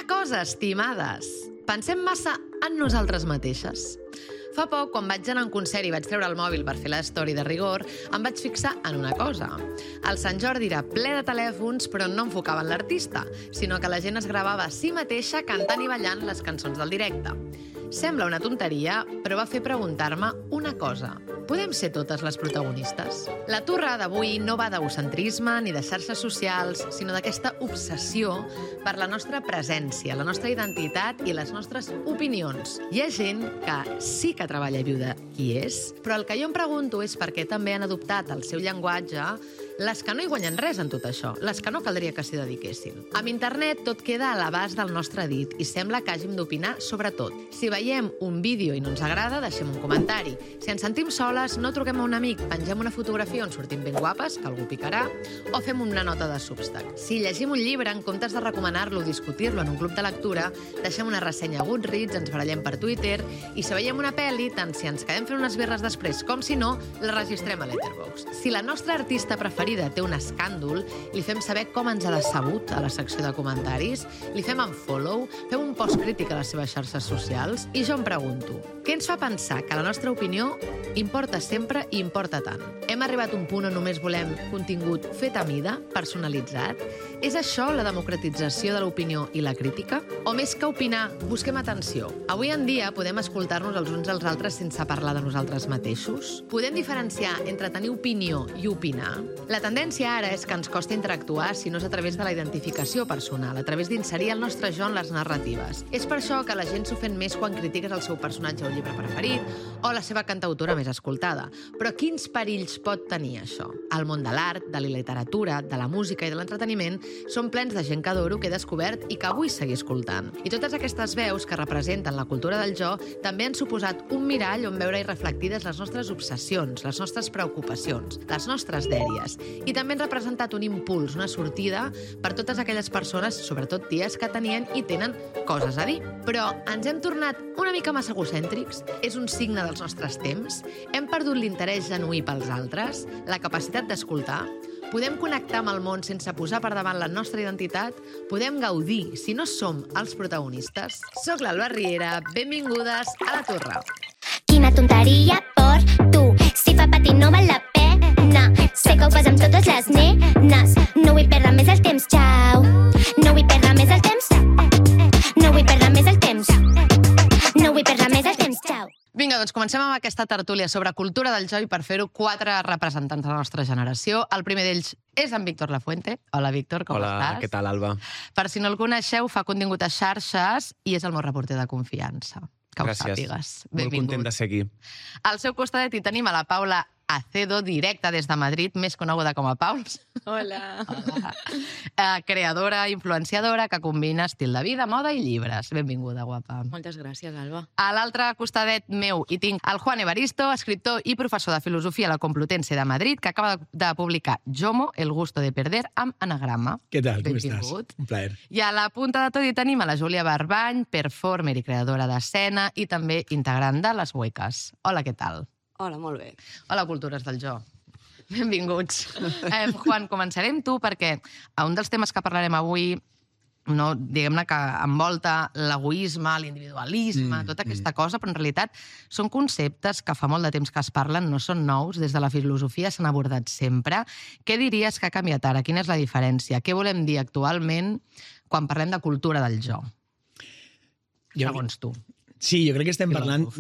Una cosa, estimades, pensem massa en nosaltres mateixes. Fa poc, quan vaig anar a un concert i vaig treure el mòbil per fer la story de rigor, em vaig fixar en una cosa. El Sant Jordi era ple de telèfons, però no enfocaven l'artista, sinó que la gent es gravava a si mateixa cantant i ballant les cançons del directe. Sembla una tonteria, però va fer preguntar-me una cosa. Podem ser totes les protagonistes? La turra d'avui no va d'egocentrisme ni de xarxes socials, sinó d'aquesta obsessió per la nostra presència, la nostra identitat i les nostres opinions. Hi ha gent que sí que treballa i viu de qui és, però el que jo em pregunto és per què també han adoptat el seu llenguatge les que no hi guanyen res en tot això, les que no caldria que s'hi dediquessin. Amb internet tot queda a l'abast del nostre dit i sembla que hàgim d'opinar sobre tot. Si veiem un vídeo i no ens agrada, deixem un comentari. Si ens sentim soles, no truquem a un amic, pengem una fotografia on sortim ben guapes, que algú picarà, o fem una nota de Substack. Si llegim un llibre, en comptes de recomanar-lo o discutir-lo en un club de lectura, deixem una ressenya a Goodreads, ens barallem per Twitter, i si veiem una pel·li, tant si ens quedem fent unes birres després com si no, la registrem a Letterboxd. Si la nostra artista preferida té un escàndol, li fem saber com ens ha decebut a la secció de comentaris, li fem unfollow, fem un post crític a les seves xarxes socials, i jo em pregunto, què ens fa pensar que la nostra opinió importa sempre i importa tant? Hem arribat a un punt on només volem contingut fet a mida, personalitzat? És això la democratització de l'opinió i la crítica? O més que opinar, busquem atenció. Avui en dia podem escoltar-nos els uns als altres sense parlar de nosaltres mateixos? Podem diferenciar entre tenir opinió i opinar? La tendència ara és que ens costa interactuar si no és a través de la identificació personal, a través d'inserir el nostre jo en les narratives. És per això que la gent s'ofèn més quan critiques el seu personatge o llibre preferit o la seva cantautora més escoltada. Però quins perills pot tenir això? El món de l'art, de la literatura, de la música i de l'entreteniment són plens de gent que adoro, que he descobert i que vull seguir escoltant. I totes aquestes veus que representen la cultura del jo també han suposat un mirall on veure-hi reflectides les nostres obsessions, les nostres preocupacions, les nostres dèries. I també han representat un impuls, una sortida per totes aquelles persones, sobretot ties, que tenien i tenen coses a dir. Però ens hem tornat una mica massa egocèntrics? És un signe dels nostres temps? Hem perdut l'interès genuí pels altres? La capacitat d'escoltar? Podem connectar amb el món sense posar per davant la nostra identitat? Podem gaudir si no som els protagonistes? Soc l'Alba Riera, benvingudes a La Torre. Quina tonteria per tu, si fa patir no val la pena. Sé que ho fas amb totes les nenes. No vull perdre més el temps, xau. No vull perdre més el temps. No vull perdre més el temps. No vull perdre més el temps, xau. Vinga, doncs comencem amb aquesta tertúlia sobre cultura del jo i per fer-ho 4 representants de la nostra generació. El primer d'ells és en Víctor Lafuente. Hola, Víctor, com estàs? Hola, què tal, Alba? Per si no el coneixeu, fa contingut a xarxes i és el meu reporter de confiança. Que ho sàpigues. Benvingut. Molt content de ser aquí. Al seu costat hi tenim a la Paula Acedo, directa des de Madrid, més coneguda com a Pauls. Hola. Creadora, influenciadora, que combina estil de vida, moda i llibres. Benvinguda, guapa. Moltes gràcies, Alba. A l'altre costadet meu hi tinc el Juan Evaristo, escriptor i professor de filosofia a la Complutense de Madrid, que acaba de publicar Jomo, el gusto de perder, amb anagrama. Què tal, com Benvingut. estàs? Un plaer. I a la punta de tot hi tenim a la Júlia Barbany, performer i creadora d'escena i també integrant de Les Huecas. Hola, què tal? Hola, molt bé. Hola, cultures del jo. Benvinguts. Juan, començarem tu perquè un dels temes que parlarem avui, no, diguem-ne que envolta l'egoisme, l'individualisme, tota aquesta cosa, però en realitat són conceptes que fa molt de temps que es parlen, no són nous, des de la filosofia s'han abordat sempre. Què diries que ha canviat ara? Quina és la diferència? Què volem dir actualment quan parlem de cultura del jo? Segons tu. Sí, jo crec que estem parlant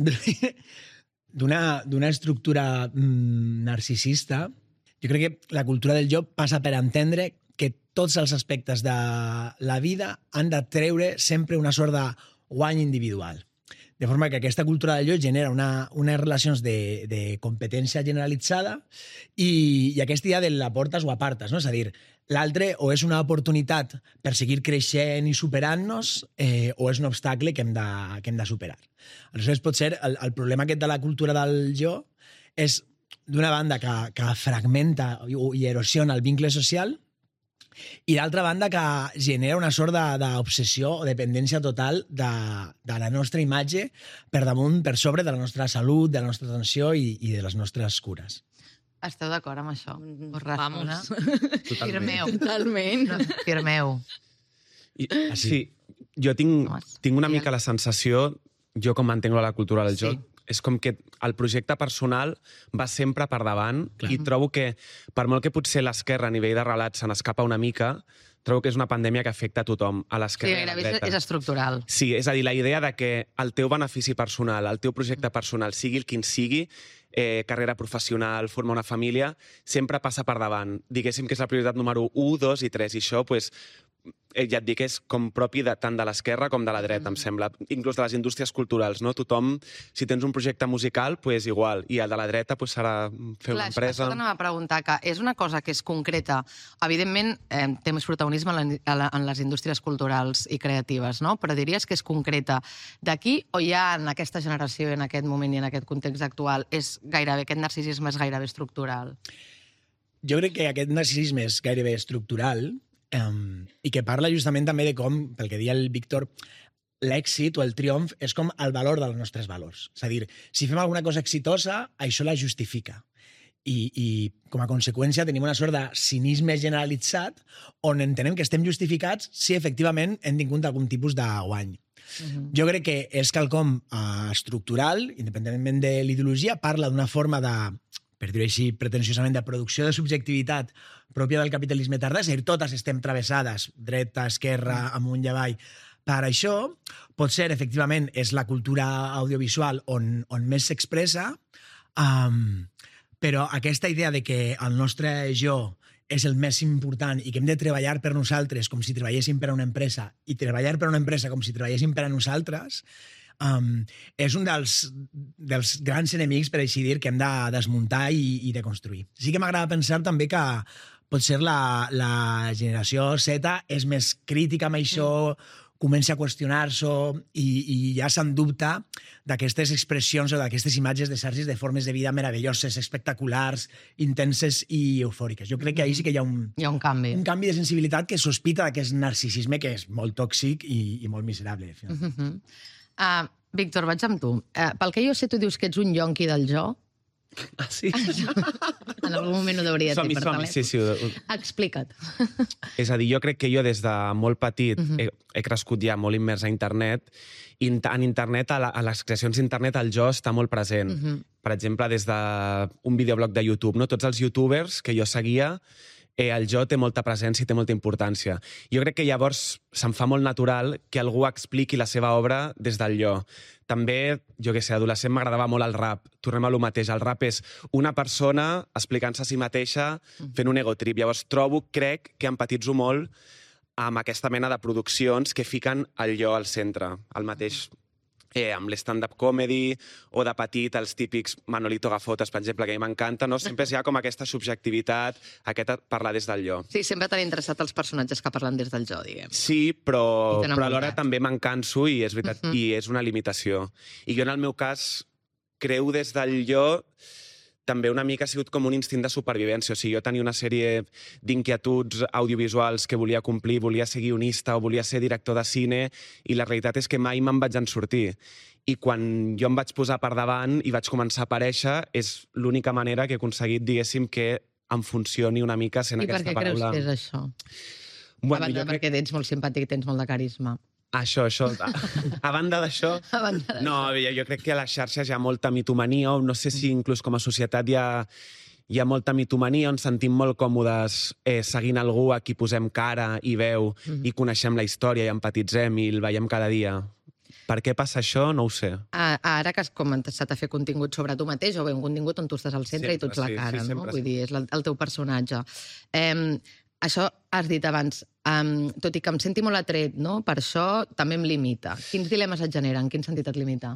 d'una estructura narcisista. Jo crec que la cultura del jo passa per entendre que tots els aspectes de la vida han de treure sempre una sort de guany individual. De forma que aquesta cultura del jo genera unes relacions de competència generalitzada i aquesta idea de la portes o apartes, no? És a dir, l'altre o és una oportunitat per seguir creixent i superant-nos o és un obstacle que hem de superar. Aleshores, potser el problema aquest de la cultura del jo és, d'una banda, que fragmenta i erosiona el vincle social i, d'altra banda, que genera una sort d'obsessió o dependència total de la nostra imatge per sobre de la nostra salut, de la nostra atenció i de les nostres cures. Esteu d'acord amb això? Vamos. Firmeu. Totalment. Firmeu. Sí, Jo tinc una mica la sensació, jo com m'entenc la cultura del joc, és com que el projecte personal va sempre per davant i trobo que, per molt que potser l'esquerra a nivell de relats se n'escapa una mica, trobo que és una pandèmia que afecta a tothom, a l'esquerra i a la dreta. És estructural. Sí, és a dir, la idea de que el teu benefici personal, el teu projecte personal, sigui el quin sigui, carrera professional, formar una família, sempre passa per davant. Diguéssim que és la prioritat número 1, 2 i 3, i això, doncs, ja et dic, és com propi tant de l'esquerra com de la dreta, em sembla. Inclús de les indústries culturals, no? Tothom, si tens un projecte musical, doncs igual. I el de la dreta serà fer una empresa. Això t'anava a preguntar, que és una cosa que és concreta. Evidentment, té més protagonisme en les indústries culturals i creatives, no? Però diries que és concreta d'aquí o ja en aquesta generació, en aquest moment i en aquest context actual, aquest narcisisme és gairebé estructural? Jo crec que aquest narcisisme és gairebé estructural i que parla justament també de com, pel que deia el Víctor, l'èxit o el triomf és com el valor dels nostres valors. És a dir, si fem alguna cosa exitosa, això la justifica. I com a conseqüència tenim una sort de cinisme generalitzat on entenem que estem justificats si efectivament hem tingut algun tipus de guany. Jo crec que és quelcom estructural, independentment de l'ideologia, parla d'una forma de, per dir-ho així, pretensiosament, de producció de subjectivitat pròpia del capitalisme tardà, és a dir, totes estem travessades, dreta, esquerra, amunt i avall, per això. Potser, efectivament, és la cultura audiovisual on més s'expressa, però aquesta idea de que el nostre jo és el més important i que hem de treballar per nosaltres com si treballéssim per a una empresa i treballar per a una empresa com si treballéssim per a nosaltres, és un dels grans enemics, per així dir, que hem de desmuntar i de construir. Sí que m'agrada pensar també que potser la generació Z és més crítica amb això, comença a qüestionar-s'ho i ja se'n dubta d'aquestes expressions o d'aquestes imatges de Sergis de formes de vida meravelloses, espectaculars, intenses i eufòriques. Jo crec que ahí sí que hi ha un canvi. Un canvi de sensibilitat que sospita d'aquest narcisisme que és molt tòxic i molt miserable. Víctor, vaig amb tu. Pel que jo sé, tu dius que ets un yonqui del jo. Ah, sí? En algun moment ho hauria de dir per telèfon. Sí. Explica't. És a dir, jo crec que jo des de molt petit he crescut ja molt immers a internet i en internet, a les creacions d'internet, el jo està molt present. Per exemple, des d'un videoblog de YouTube, no? Tots els youtubers que jo seguia, el jo té molta presència i té molta importància. Jo crec que llavors se'm fa molt natural que algú expliqui la seva obra des del jo. També, jo què sé, adolescent m'agradava molt el rap. Tornem a lo mateix. El rap és una persona explicant-se a si mateixa, fent un egotrip. Llavors crec que empatitzo molt amb aquesta mena de produccions que fiquen el jo al centre. El mateix amb l'stand-up comedy o de petit, els típics Manolito Gafotas, per exemple, que a mi m'encanta, no? Sempre hi ha com aquesta subjectivitat, aquesta parlar des del jo. Sí, sempre t'han interessat els personatges que parlen des del jo, diguem. Sí, però alhora també me'n canso i és veritat, i és una limitació. I jo, en el meu cas, creu des del jo també una mica ha sigut com un instint de supervivència. O sigui, jo tenia una sèrie d'inquietuds audiovisuals que volia complir, volia ser guionista o volia ser director de cine, i la realitat és que mai me'n vaig en sortir. I quan jo em vaig posar per davant i vaig començar a aparèixer, és l'única manera que he aconseguit, diguéssim, que em funcioni una mica sent aquesta paraula. I per què creus que és això? Bueno, a banda perquè ets molt simpàtic i tens molt de carisma. Això. A banda d'això... No, jo crec que a les xarxes hi ha molta mitomania, o no sé si inclús com a societat hi ha molta mitomania, on sentim molt còmodes seguint algú a qui posem cara i veu i coneixem la història i empatitzem i el veiem cada dia. Per què passa això? No ho sé. Ara que has començat a fer contingut sobre tu mateix, o bé un contingut on tu estàs al centre i tu ets la cara, no? Vull dir, és el teu personatge. Això has dit abans, tot i que em senti molt atret, no? Per això també em limita. Quins dilemes et generen? En quin sentit et limita?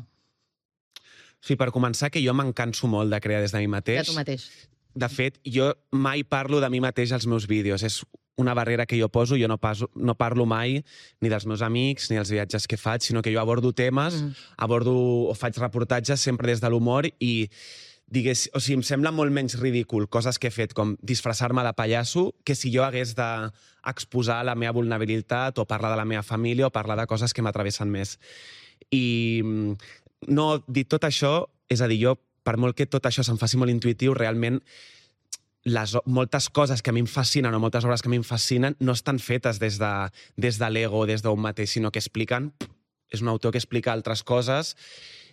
Sí, per començar, que jo me'n canso molt de crear des de mi mateix. De tu mateix. De fet, jo mai parlo de mi mateix als meus vídeos. És una barrera que jo poso. Jo no parlo mai ni dels meus amics ni dels viatges que faig, sinó que jo abordo temes, o faig reportatges sempre des de l'humor i em sembla molt menys ridícul coses que he fet, com disfressar-me de pallasso, que si jo hagués d'exposar la meva vulnerabilitat o parlar de la meva família o parlar de coses que m'atravessen més. I dit tot això, és a dir, jo, per molt que tot això se'm faci molt intuïtiu, realment moltes coses que a mi em fascinen o moltes obres que a mi em fascinen no estan fetes des de l'ego, des d'un mateix, sinó que expliquen... És un autor que explica altres coses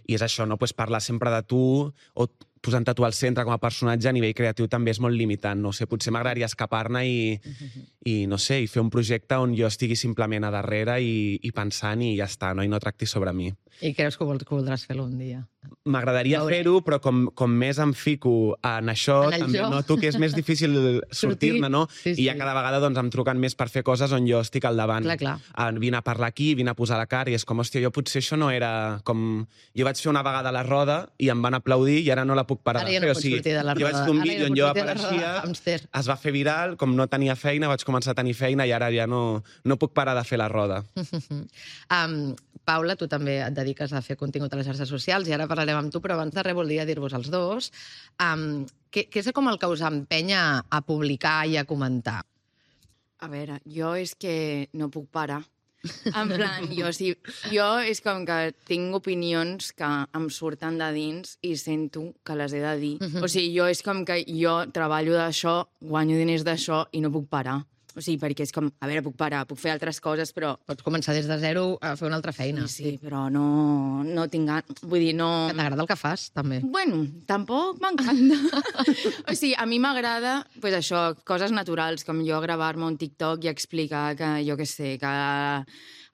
i és això, no? Pues parlar sempre de tu o posant-te tu al centre com a personatge a nivell creatiu també és molt limitant. No sé, potser m'agradaria escapar-ne i no sé, i fer un projecte on jo estigui simplement a darrere i pensant i ja està, no? I no tracti sobre mi. I creus que voldràs fer-lo un dia? M'agradaria fer-ho, però com més em fico en això, també noto que és més difícil sortir-ne, no? I ja cada vegada doncs, em truquen més per fer coses on jo estic al davant. Clar. Vine a parlar aquí, vine a posar la cara, i és com, hòstia, jo potser això no era com... Jo vaig fer una vegada la roda i em van aplaudir i ara no la puc parar de fer. Ara ja no pots sortir de la roda. Jo vaig fer un vídeo on jo apareixia, es va fer viral, com no tenia feina, vaig començar a tenir feina i ara ja no puc parar de fer la roda. Paula, tu també et dediques a fer contingut a les xarxes socials i ara parlarem amb tu, però abans de res voldria dir-vos als dos què és com el que us empenya a publicar i a comentar? A veure, jo és que no puc parar. En plan, jo és com que tinc opinions que em surten de dins i sento que les he de dir. O sigui, jo és com que jo treballo d'això, guanyo diners d'això i no puc parar. O sigui, perquè és com, a veure, puc parar, puc fer altres coses, però... Pots començar des de zero a fer una altra feina. Sí, però no tinc ganes. Vull dir, no... Que t'agrada el que fas, també. Bueno, tampoc m'encanta. O sigui, a mi m'agrada, pues això, coses naturals, com jo gravar-me un TikTok i explicar que, jo què sé, que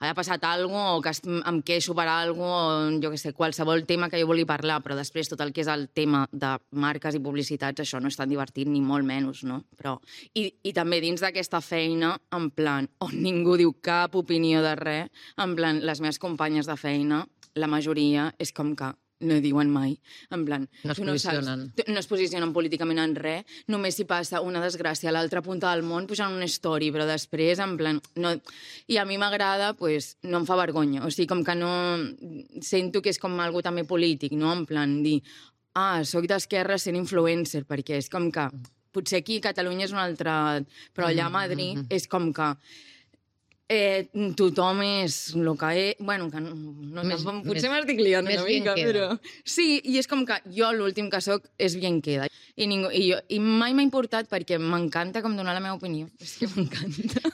ha passat alguna cosa, o que em queixo per alguna cosa, o jo què sé, qualsevol tema que jo vulgui parlar, però després tot el que és el tema de marques i publicitats, això no és tan divertit, ni molt menys, no? Però... I també dins d'aquesta feina, en plan, on ningú diu cap opinió de res, en plan, les meves companyes de feina, la majoria és com que no diuen mai, en plan... No es posicionen políticament en res, només si passa una desgràcia a l'altra punta del món pujant una story, però després, en plan... No... I a mi m'agrada, pues, no em fa vergonya, o sigui, com que no... Sento que és com algo també polític, no? En plan, dir, soc d'esquerra sent influencer, perquè és com que... Potser aquí a Catalunya és un altre... Però allà a Madrid és com que... tothom és el que és... Bueno, que potser m'estic liant una mica, però... Sí, i és com que jo l'últim que soc és bien queda. I mai m'ha importat perquè m'encanta com donar la meva opinió. És que m'encanta.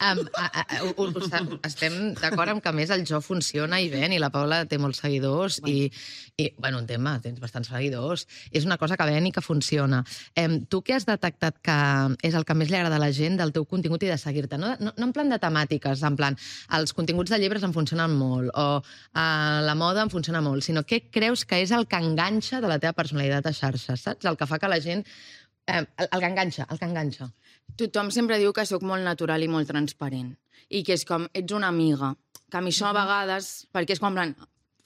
Estem d'acord amb que, a més, el jo funciona i ven, i la Paula té molts seguidors, i bueno, un tema, tens bastants seguidors. És una cosa que ven i que funciona. Tu què has detectat que és el que més li agrada a la gent del teu contingut i de seguir-te? No en plan de temàtiques, en plan els continguts de llibres em funcionen molt o la moda em funciona molt, sinó què creus que és el que enganxa de la teva personalitat a xarxes, saps? El que fa que la gent... El que enganxa. Tothom sempre diu que sóc molt natural i molt transparent i que és com, ets una amiga, que a mi això a vegades, perquè és com, en plan,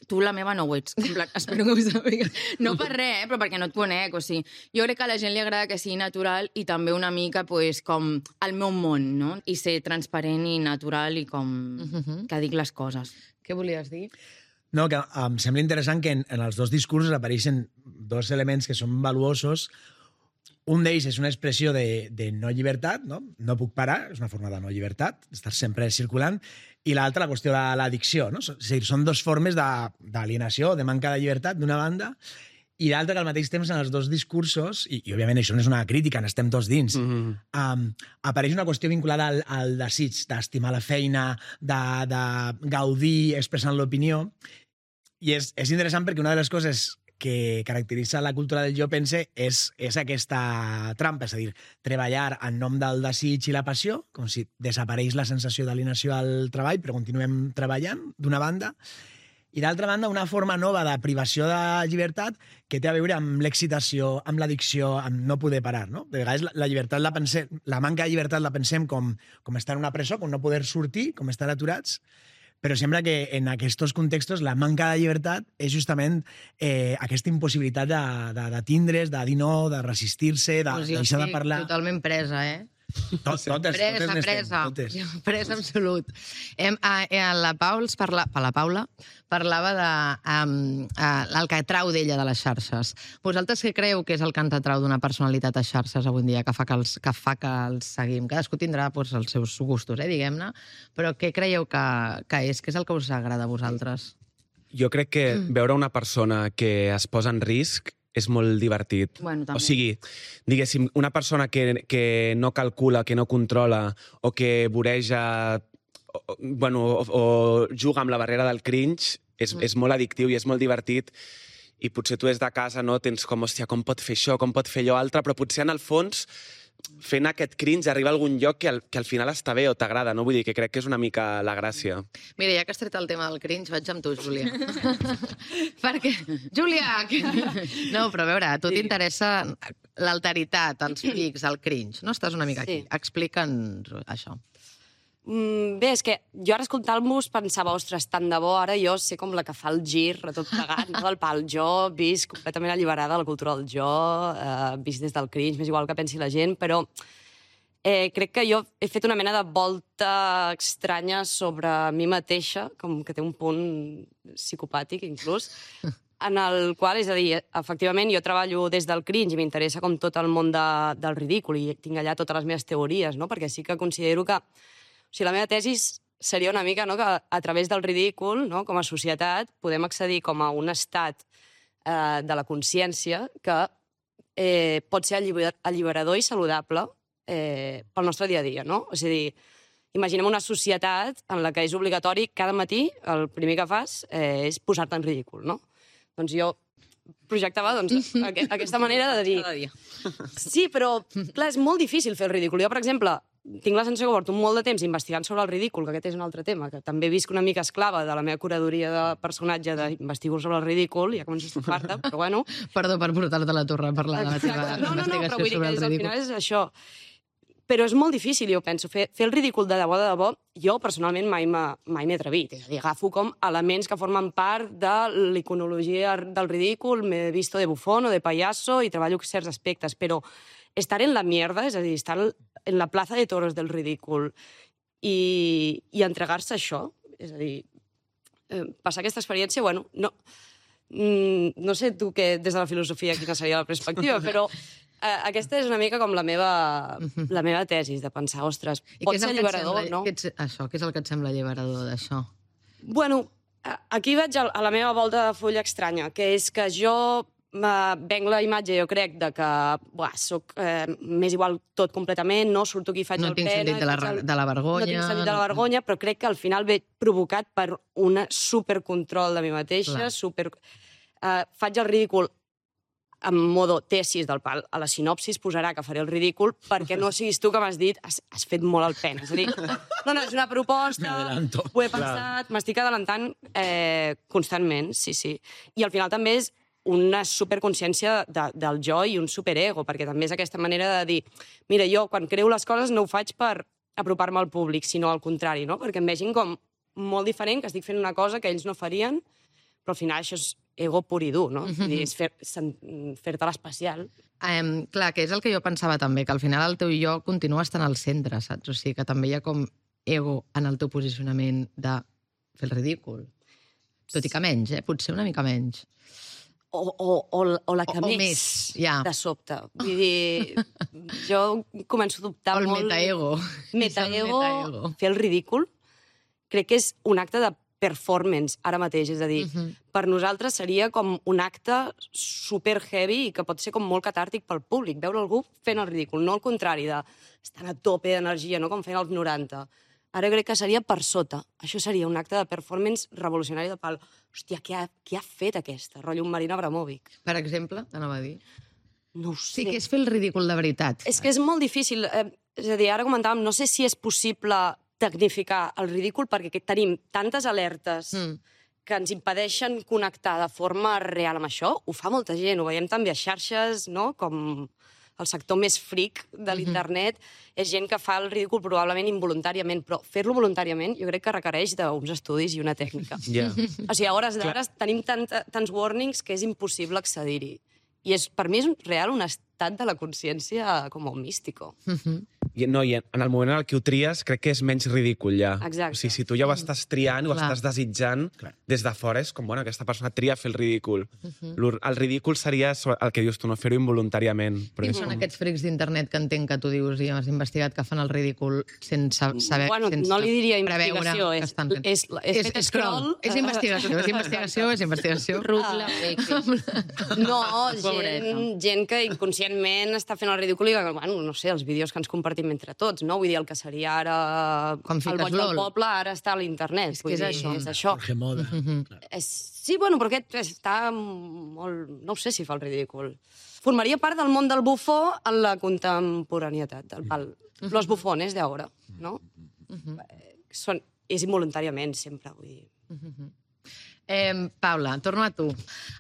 tu la meva no ho ets. En plan, espero que ho sàpigues. No per res, però perquè no et conec. O sigui, jo crec que a la gent li agrada que sigui natural i també una mica pues, com el meu món, no? I ser transparent i natural i com que dic les coses. Què volies dir? No, que em sembla interessant que en els dos discursos apareixen dos elements que són valuosos. Un d'ells és una expressió de no llibertat, no? No puc parar, és una forma de no llibertat, estar sempre circulant, i l'altra, la qüestió de l'addicció, no? És a dir, són dues formes d'alienació, de manca de llibertat, d'una banda, i l'altra que al mateix temps en els dos discursos, i òbviament això no és una crítica, n'estem tots dins, apareix una qüestió vinculada al desig d'estimar la feina, de gaudir expressant l'opinió, i és interessant perquè una de les coses que caracteritza la cultura del jo pense és aquesta trampa, és a dir, treballar en nom del desig i la passió, com si desapareix la sensació d'alienació al treball, però continuem treballant, d'una banda, i d'altra banda, una forma nova de privació de llibertat que té a veure amb l'excitació, amb l'addicció, amb no poder parar, no? De vegades la manca de llibertat la pensem com estar en una presó, com no poder sortir, com estar aturats, però sembla que en aquests contextos la manca de llibertat és justament aquesta impossibilitat de tindre's, de dir no, de resistir-se, de deixar de parlar. Totalment presa, Presa absolut. La Paula parlava del que atrau d'ella de les xarxes. Vosaltres què creu que és el que ens atrau d'una personalitat a xarxes avui dia, que fa que els seguim? Cadascú tindrà els seus gustos, diguem-ne, però què creieu que és? Què és el que us agrada a vosaltres? Jo crec que veure una persona que es posa en risc és molt divertit. Bueno, també. O sigui, diguéssim, una persona que no calcula, que no controla, o que voreja, o juga amb la barrera del cringe, és molt addictiu i és molt divertit. I potser tu des de casa no tens com, hòstia, com pot fer això, com pot fer allò altre, però potser en el fons fent aquest cringe arriba a algun lloc que al final està bé o t'agrada, no? Vull dir que crec que és una mica la gràcia. Mira, ja que has tret el tema del cringe, vaig amb tu, Júlia. Perquè... Júlia! No, però a veure, a tu t'interessa l'alteritat, els pics, el cringe, no? Estàs una mica aquí. Explica'ns això. Bé, és que jo ara escoltant-vos pensava, ostres, tant de bo, ara jo sé com la que fa el gir a tot plegat, no, del pal. Jo visc completament alliberada de la cultura del jo, visc des del cringe, m'és igual que pensi la gent, però crec que jo he fet una mena de volta estranya sobre mi mateixa, com que té un punt psicopàtic, inclús, en el qual, és a dir, efectivament, jo treballo des del cringe i m'interessa com tot el món del ridícul i tinc allà totes les meves teories, no? Perquè sí que considero que o sigui, la meva tesi seria una mica que a través del ridícul, no, com a societat, podem accedir com a un estat de la consciència que pot ser alliberador i saludable pel nostre dia a dia. No? És a dir, imaginem una societat en la que és obligatori cada matí, el primer que fas és posar-te en ridícul. No? Doncs jo projectava aquesta manera de dir... Cada dia. Sí, però clar, és molt difícil fer el ridícul. Jo, per exemple, tinc la sensació que porto molt de temps investigant sobre el ridícul, que aquest és un altre tema, que també visc una mica esclava de la meva curadoria de personatge d'investigar sobre el ridícul, ja començo a estafar-te, però bueno... Perdó per portar-te a la torre a parlar de la teva investigació però vull dir sobre que el al ridícul. final és això. Però és molt difícil, jo penso. Fer el ridícul de debò, jo personalment mai m'he atrevit. És a dir, agafo com elements que formen part de l'iconologia del ridícul, m'he visto de bufón o de payaso i treballo certs aspectes, però estar en la mierda, és a dir, estar en la plaza de toros del ridícul i entregar-se a això, és a dir, passar aquesta experiència, bueno, no sé tu que des de la filosofia quina seria la perspectiva, però aquesta és una mica com la meva tesi, de pensar, ostres, pot ser alliberador, no? Què és el que et sembla alliberador d'això? Bueno, aquí vaig a la meva volta de fulla estranya, que és que jo venc la imatge, jo crec, de que soc més igual tot completament, no surto aquí i faig el pena... No tinc sentit de la vergonya... No tinc sentit de la vergonya, però crec que al final ve provocat per un supercontrol de mi mateixa, faig el ridícul en modo tesis del pal. A la sinopsis posarà que faré el ridícul perquè no siguis tu que m'has dit has fet molt el pena. És a dir, no, és una proposta, ho he pensat, m'estic adelantant constantment, sí. I al final també és una superconsciència del jo i un superego, perquè també és aquesta manera de dir, mira, jo quan creo les coses no ho faig per apropar-me al públic, sinó al contrari, no? Perquè em vegin com molt diferent, que estic fent una cosa que ells no farien, però al final això és ego pur i dur, no? És fer-te l'especial. Clar, que és el que jo pensava també, que al final el teu jo continua estant al centre, saps? O sigui, que també hi ha com ego en el teu posicionament de fer el ridícul. Tot i que menys, potser una mica menys. O la que més, de sobte. Vull dir, jo començo a dubtar molt... O el metaego. Metaego, fer el ridícul, crec que és un acte de performance ara mateix, és a dir, per nosaltres seria com un acte super heavy i que pot ser com molt catàrtic pel públic, veure algú fent el ridícul, no al contrari d'estar a tope d'energia, no com feien als 90. Ara crec que seria per sota. Això seria un acte de performance revolucionari de pal. Hòstia, qui ha fet aquesta? Rotllo un Marina Abramovic. Per exemple, t'anava a dir. No ho sé. Sí que és fer el ridícul de veritat. És que és molt difícil. És a dir, ara comentàvem, no sé si és possible tecnificar el ridícul perquè tenim tantes alertes que ens impedeixen connectar de forma real amb això. Ho fa molta gent, ho veiem també a xarxes, no? Com el sector més fric de l'internet, és gent que fa el ridícul probablement involuntàriament, però fer-lo voluntàriament jo crec que requereix d'uns estudis i una tècnica. O sigui, a hores d'ara tenim tants warnings que és impossible accedir-hi. I per mi és real un estat de la consciència com un místico. I en el moment en el que ho tries, crec que és menys ridícul, ja. Exacte. O sigui, si tu ja ho estàs triant, ho Clar. estàs desitjant, des de fora és com, bueno, aquesta persona tria fer el ridícul. El ridícul seria el que dius tu, no fer-ho involuntàriament. Però Qui són aquests frics d'internet que entenc que tu dius i has investigat que fan el ridícul sense saber... Bueno, sense no li diria preveure investigació, que estan fent? és fet scroll. És investigació. Rutla, No, Pobreta. gent que inconscientment està fent el ridícul i, bueno, no sé, els vídeos que ens compartim entre tots, no? Vull dir, el que seria ara Com el fiques boig del LOL. poble, ara està a l'internet. És que és això. És això. Jorge Moda. Sí, bueno, però aquest està molt... No sé si fa el ridícul. Formaria part del món del bufó en la contemporanietat. Los bufones d'ara, no? És involuntàriament, sempre, vull dir. Paula, torno a tu.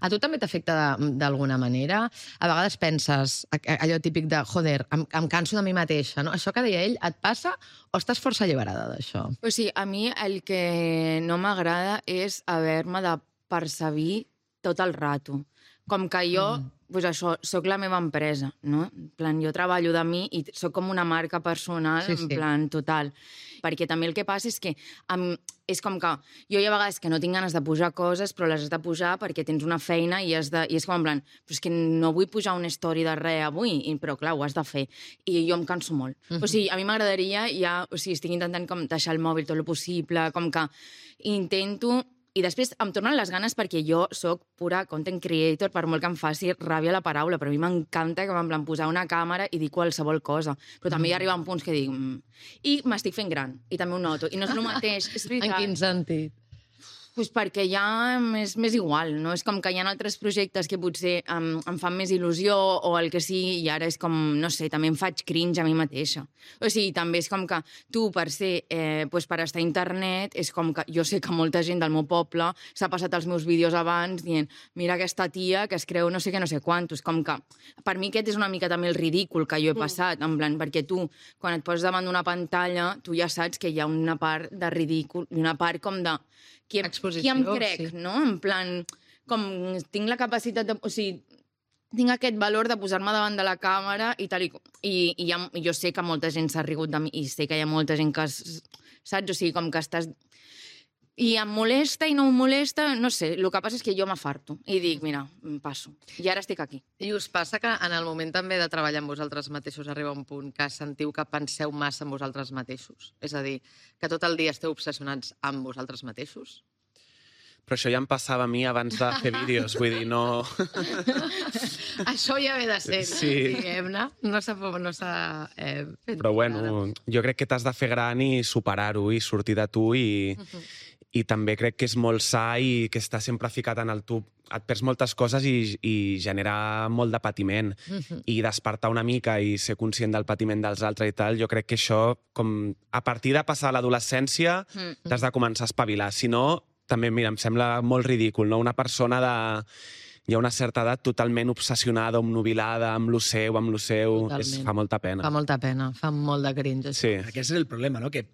A tu també t'afecta d'alguna manera? A vegades penses allò típic de, joder, em canso de mi mateixa, no? Això que deia ell, et passa o estàs força alliberada d'això? O sigui, a mi el que no m'agrada és haver-me de percebir tot el rato. Com que jo, pues això, soc la meva empresa, no? En plan, jo treballo de mi i soc com una marca personal, Sí. en plan, total. Perquè també el que passa és que és com que jo hi ha vegades que no tinc ganes de pujar coses, però les has de pujar perquè tens una feina i és com en plan, però és que no vull pujar una story de res avui, però clar, ho has de fer. I jo em canso molt. O sigui, a mi m'agradaria estic intentant com deixar el mòbil tot el possible, com que intento... I després em tornen les ganes perquè jo sóc pura content creator, per molt que em faci ràbia la paraula, però a mi m'encanta que m'en posar una càmera i dir qualsevol cosa. Però també hi arriba un punts que dic... I m'estic fent gran, i també ho noto. I no és el mateix, és veritat. En quin sentit? Pues perquè ja és més igual, no? És com que hi ha altres projectes que potser em fan més il·lusió o el que sigui, i ara és com, no sé, també em faig cringe a mi mateixa. O sigui, també és com que tu, per ser, per estar a internet, és com que jo sé que molta gent del meu poble s'ha passat els meus vídeos abans dient, mira aquesta tia que es creu no sé què, no sé quantos. Com que, per mi aquest és una mica també el ridícul que jo he passat, en plan, perquè tu, quan et poses davant d'una pantalla, tu ja saps que hi ha una part de ridícul i una part com de... Qui em crec, sí. no? En plan, com tinc la capacitat de... O sigui, tinc aquest valor de posar-me davant de la càmera i tal i jo sé que molta gent s'ha rigut de mi i sé que hi ha molta gent que... Saps? O sigui, com que estàs... I em molesta i no em molesta, no sé, el que passa és que jo m'afarto i dic, mira, passo. I ara estic aquí. I us passa que en el moment també de treballar amb vosaltres mateixos arriba un punt que sentiu que penseu massa en vosaltres mateixos? És a dir, que tot el dia esteu obsessionats amb vosaltres mateixos? Però això ja em passava a mi abans de fer vídeos, vull dir, no... Això ja ve de ser, Sí. diguem-ne. No s'ha fet... Però bueno, jo crec que t'has de fer gran i superar-ho i sortir de tu i també crec que és molt sa i que està sempre ficat en el tub. Et perds moltes coses i genera molt de patiment. I despertar una mica i ser conscient del patiment dels altres i tal, jo crec que això, com a partir de passar l'adolescència, t'has de començar a espavilar. Si no, també, mira, em sembla molt ridícul, no? Una persona de... Hi ha una certa edat totalment obsessionada, omnubilada, amb lo seu, fa molta pena. Fa molta pena, fa molt de cringe. Sí. Aquest és el problema, no? Que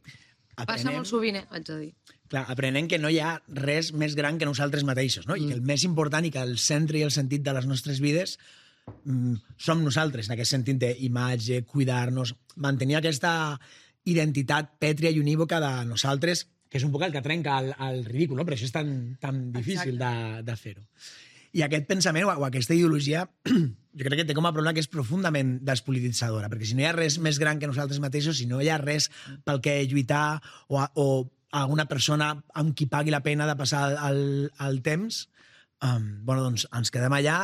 Passa molt sovint, haig de dir. Clar, aprenem que no hi ha res més gran que nosaltres mateixos, no? I que el més important i que el centre i el sentit de les nostres vides som nosaltres, en aquest sentit d'imatge, cuidar-nos, mantenir aquesta identitat pètria i unívoca de nosaltres, que és un poc el que trenca el ridícul, no? Per això és tan difícil de fer-ho. I aquest pensament o aquesta ideologia jo crec que té com a problema que és profundament despolititzadora, perquè si no hi ha res més gran que nosaltres mateixos, si no hi ha res pel que lluitar o alguna persona amb qui pagui la pena de passar el temps, bueno, doncs ens quedem allà.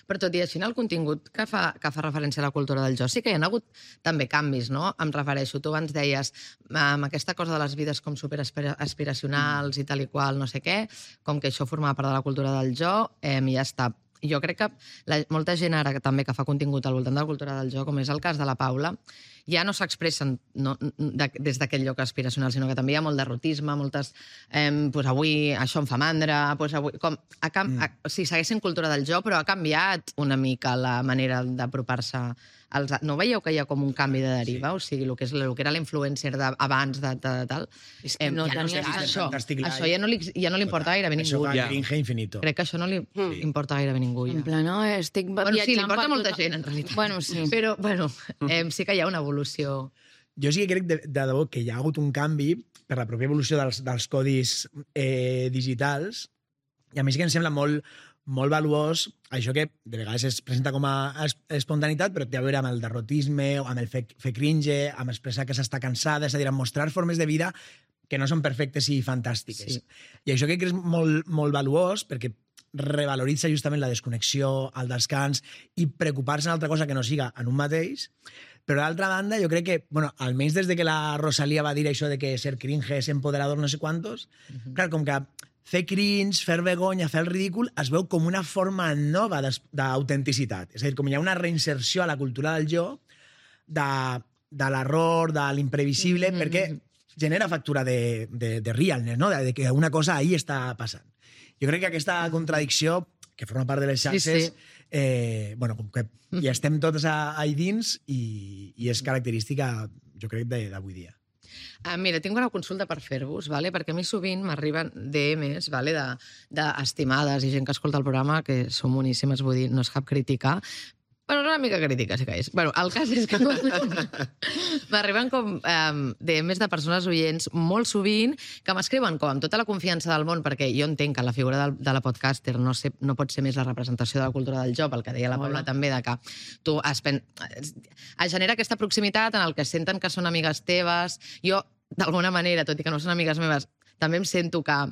Però tot i així, en el contingut que fa referència a la cultura del jo, sí que hi ha hagut també canvis, no? Em refereixo, tu abans deies, amb aquesta cosa de les vides com superaspiracionals i tal i qual, no sé què, com que això formava part de la cultura del jo, i ja està. Jo crec que molta gent ara també que fa contingut al voltant de la cultura del jo, com és el cas de la Paula, ja no s'expressen des d'aquest lloc aspiracional, sinó que també hi ha molt derrotisme, moltes... avui això em fa mandra, si segueixen cultura del jo, però ha canviat una mica la manera d'apropar-se no veieu que hi ha com un canvi de deriva? O sigui, el que era l'influencer abans de tal... És que no ja tenia això Fantàstic Life. ja no li importa gairebé Això ningú. fa cringe infinito. Crec que això no li importa gairebé ningú. En Ja. plan, no, estic Bueno, sí, li viatjant importa per molta tot- gent, en realitat. Bueno, sí. Però, bueno, sí que hi ha una evolució. Jo sí que crec de debò que hi ha hagut un canvi per la pròpia evolució dels codis digitals, i a mi sí que em sembla molt valuós això que de vegades es presenta com a espontaneïtat, però té a veure amb el derrotisme, amb el fer cringe, amb expressar que s'està cansada, és a dir, amb mostrar formes de vida que no són perfectes i fantàstiques. Sí. I això crec que és molt valuós perquè revaloritza justament la desconnexió, el descans i preocupar-se en altra cosa que no siga en un mateix. Però d'altra banda, jo crec que, bueno, almenys des de que la Rosalía va dir això de que ser cringe és empoderador no sé quantos, clar, com que fer cringe, fer vergonya, fer el ridícul, es veu com una forma nova d'autenticitat. És a dir, com hi ha una reinserció a la cultura del jo, de l'error, de l'imprevisible, perquè genera factura de realness, no? De que una cosa ahí està passant. Jo crec que aquesta contradicció, que forma part de les xarxes, bueno, com que hi estem tots ahí dins i és característica, jo crec, d'avui dia. Mira, tinc una consulta per fer-vos, vale? Perquè a mi sovint m'arriben DMs vale? d'estimades i gent que escolta el programa, que són boníssimes, vull dir, no és cap crítica, però una mica crítica, sí que és. Bueno, el cas és que m'arriben com DMs de persones oients molt sovint que m'escriuen com amb tota la confiança del món, perquè jo entenc que la figura de la podcaster no pot ser més la representació de la cultura del joc, el que deia la Paula també, de que tu es genera aquesta proximitat en el que senten que són amigues teves. Jo, d'alguna manera, tot i que no són amigues meves, també em sento que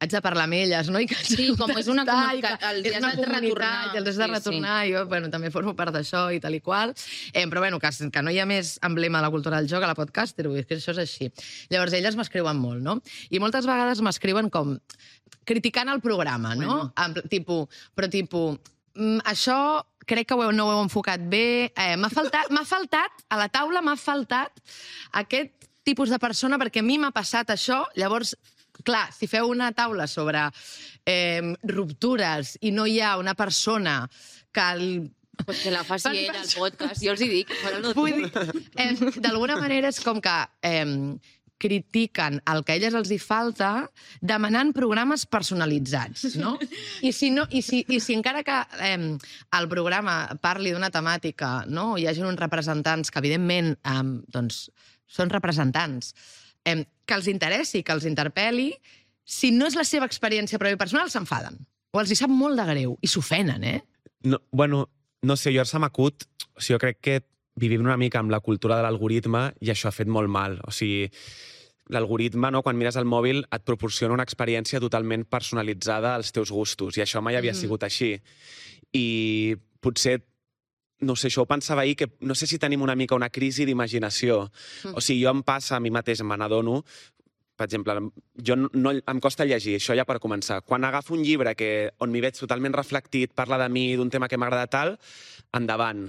haig de parlar amb elles, no? I que Sí, com és una comunitat, els és una has de retornar. comunitat, i els has de retornar, i jo, bueno, també formo part d'això i tal i qual. Però, bueno, que no hi ha més emblema de la cultura del joc a la podcaster, vull dir que això és així. Llavors, elles m'escriuen molt, no? I moltes vegades m'escriuen com criticant el programa, no? Però tipus, això crec que no ho heu enfocat bé, m'ha faltat, a la taula m'ha faltat aquest tipus de persona, perquè a mi m'ha passat això, llavors, clar, si feu una taula sobre ruptures i no hi ha una persona que Pues que la faci ella, al podcast. Jo els hi dic. Vull dir, d'alguna manera és com que critiquen el que a elles els hi falta demanant programes personalitzats, no? I si encara que el programa parli d'una temàtica, no? Hi hagi uns representants que, evidentment, doncs, són representants, que els interessi, que els interpel·li, si no és la seva experiència pròpia personal, s'enfaden. O els hi sap molt de greu i s'ofenen, No, bueno, no sé, jo se m'acut... O sigui, jo crec que vivim una mica amb la cultura de l'algoritme i això ha fet molt mal. O sigui, l'algoritme, no, quan mires el mòbil, et proporciona una experiència totalment personalitzada als teus gustos, i això mai havia sigut així. I potser, no sé, això ho pensava ahir, que no sé si tenim una mica una crisi d'imaginació. O sigui, jo em passa a mi mateix, me n'adono, per exemple, em costa llegir, això ja per començar. Quan agafo un llibre on m'hi veig totalment reflectit, parla de mi, d'un tema que m'agrada tal, endavant.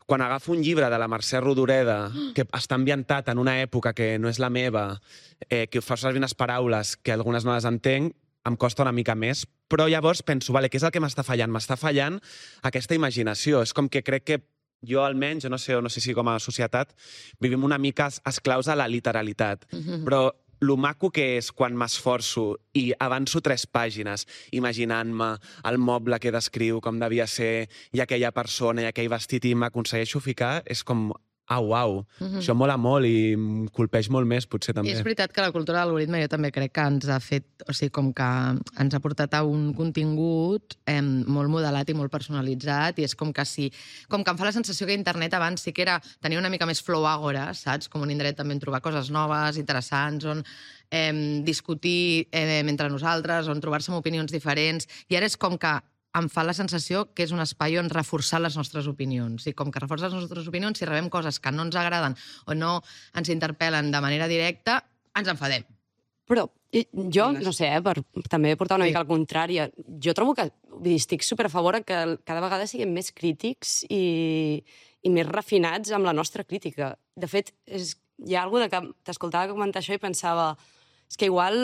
Quan agafo un llibre de la Mercè Rodoreda, que està ambientat en una època que no és la meva, que fa servir unes paraules que algunes no les entenc, em costa una mica més, però llavors penso, vale, què és el que m'està fallant? M'està fallant aquesta imaginació. És com que crec que jo almenys, no sé si com a societat, vivim una mica esclaus a la literalitat. Però lo maco que és quan m'esforço i avanço 3 pàgines imaginant-me el moble que descriu, com devia ser, i aquella persona, i aquell vestit, i m'aconsegueixo ficar, és com... Au. Això mola molt i em colpeix molt més, potser també. És veritat que la cultura de l'algoritme jo també crec que ens ha fet, o sigui, com que ens ha portat a un contingut molt modelat i molt personalitzat, i és com que com que em fa la sensació que internet abans sí que tenia una mica més flow agora, saps? Com un indret també en trobar coses noves, interessants, on discutir entre nosaltres, on trobar-se amb opinions diferents, i ara és com que em fa la sensació que és un espai on reforçar les nostres opinions. I com que reforça les nostres opinions, si rebem coses que no ens agraden o no ens interpel·len de manera directa, ens enfadem. Però jo, no sé, per també portar una mica al contrari, jo trobo que estic super a favor que cada vegada siguem més crítics i més refinats amb la nostra crítica. De fet, hi ha alguna que t'escoltava comentar això i pensava... És que igual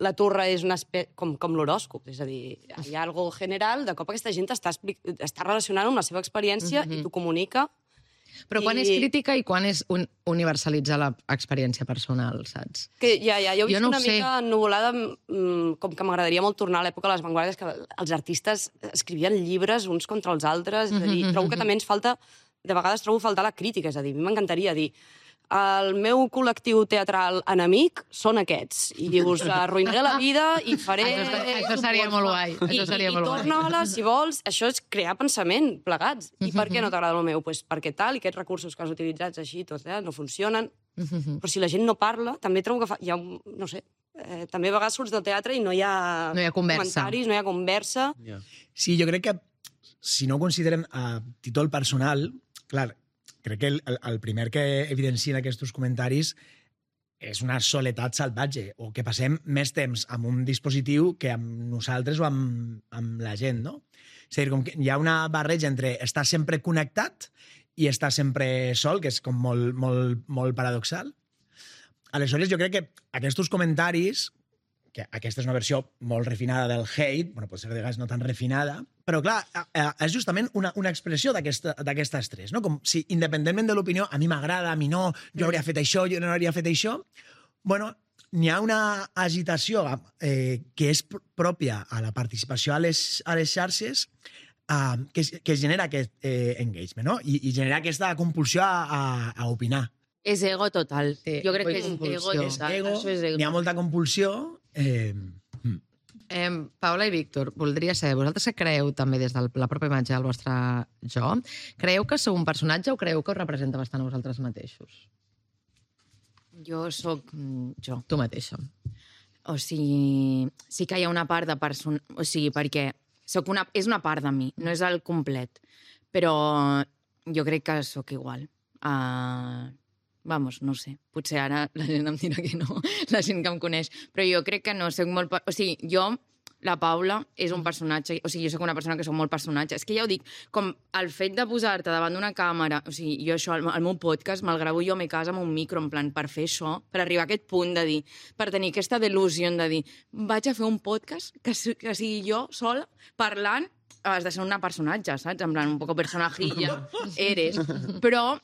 la turra és com l'horòscop, és a dir, hi ha algo general, de cop aquesta gent està relacionant amb la seva experiència i t'ho comunica, Però quan és crítica i quan és universalitzar l'experiència personal, saps? Que jo visc no una sé. mica ennuvolada, com que m'agradaria molt tornar a l'època de les vanguardies, que els artistes escrivien llibres uns contra els altres, és a dir, trobo que també ens falta, de vegades trobo faltar la crítica, és a dir, a mi m'encantaria dir el meu col·lectiu teatral enemic són aquests, i us arruïnaré la vida i faré... Això seria molt guai. I torna-la, si vols. Això és crear pensament, plegats. I per què no t'agrada el meu? Pues perquè tal, i aquests recursos que has utilitzat així, tots, no funcionen. Però si la gent no parla, també trobo que hi ha, no sé, també a vegades surts del teatre i no hi ha comentaris, no hi ha conversa. Sí, jo crec que si no ho considerem a títol personal, clar, crec que el primer que evidencien aquests comentaris és una soledat salvatge, o que passem més temps amb un dispositiu que amb nosaltres o amb la gent, no? És a dir, com que hi ha una barreja entre estar sempre connectat i estar sempre sol, que és com molt paradoxal. Aleshores, jo crec que aquests comentaris, que aquesta és una versió molt refinada del hate, bueno, pot ser de vegades no tan refinada, però clar, és justament una expressió d'aquest estrès, no? Com si, independentment de l'opinió, a mi m'agrada, a mi no, jo hauria fet això, jo no hauria fet això, bueno, n'hi ha una agitació que és pròpia a la participació a les xarxes que genera aquest engagement, no? I genera aquesta compulsió a opinar. És ego total. Sí, jo crec que és compulsió. ego total. Ego, Això és ego. n'hi ha molta compulsió. Paula i Víctor, voldria saber, vosaltres que creeu també des de la pròpia imatge del vostre jo, creieu que sou un personatge o creieu que us representa bastant a vosaltres mateixos? Jo sóc jo. Tu mateixa. O sigui, sí que hi ha una part de persona... O sigui, perquè és una part de mi, no és el complet. Però jo crec que sóc igual. Vamos, no sé. Potser ara la gent em dirà que no, la gent que em coneix. Però jo crec que no, soc molt... O sigui, jo, la Paula, és un personatge... O sigui, jo sóc una persona que sóc molt personatge. És que ja ho dic, com el fet de posar-te davant d'una càmera... O sigui, jo això, el meu podcast, me'l gravo jo a mi casa amb un micro, en plan, per fer això, per arribar a aquest punt de dir... Per tenir aquesta delusió de dir vaig a fer un podcast que sigui jo sola, parlant, has de ser una personatge, saps? En plan, un poco personajilla, eres. Però...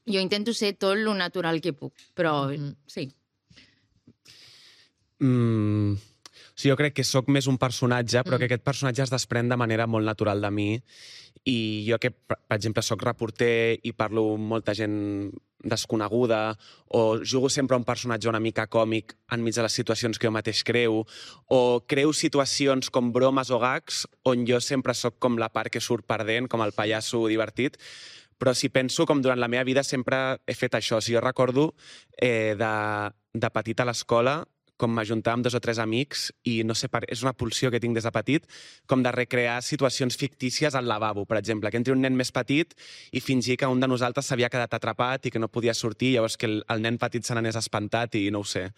jo intento ser tot lo natural que puc, però sí. Sí, jo crec que sóc més un personatge, però que aquest personatge es desprèn de manera molt natural de mi. I jo que, per exemple, sóc reporter i parlo amb molta gent desconeguda, o jugo sempre un personatge una mica còmic enmig de les situacions que jo mateix creu, o creo situacions com bromes o gags on jo sempre sóc com la part que surt perdent, com el pallasso divertit. Però si penso com durant la meva vida sempre he fet això. Si jo recordo de petit a l'escola, com m'ajuntava amb 2 o 3 amics i no sé, és una pulsió que tinc des de petit, com de recrear situacions fictícies al lavabo, per exemple, que entri un nen més petit i fingir que un de nosaltres s'havia quedat atrapat i que no podia sortir, llavors que el nen petit se n'anés espantat i no ho sé.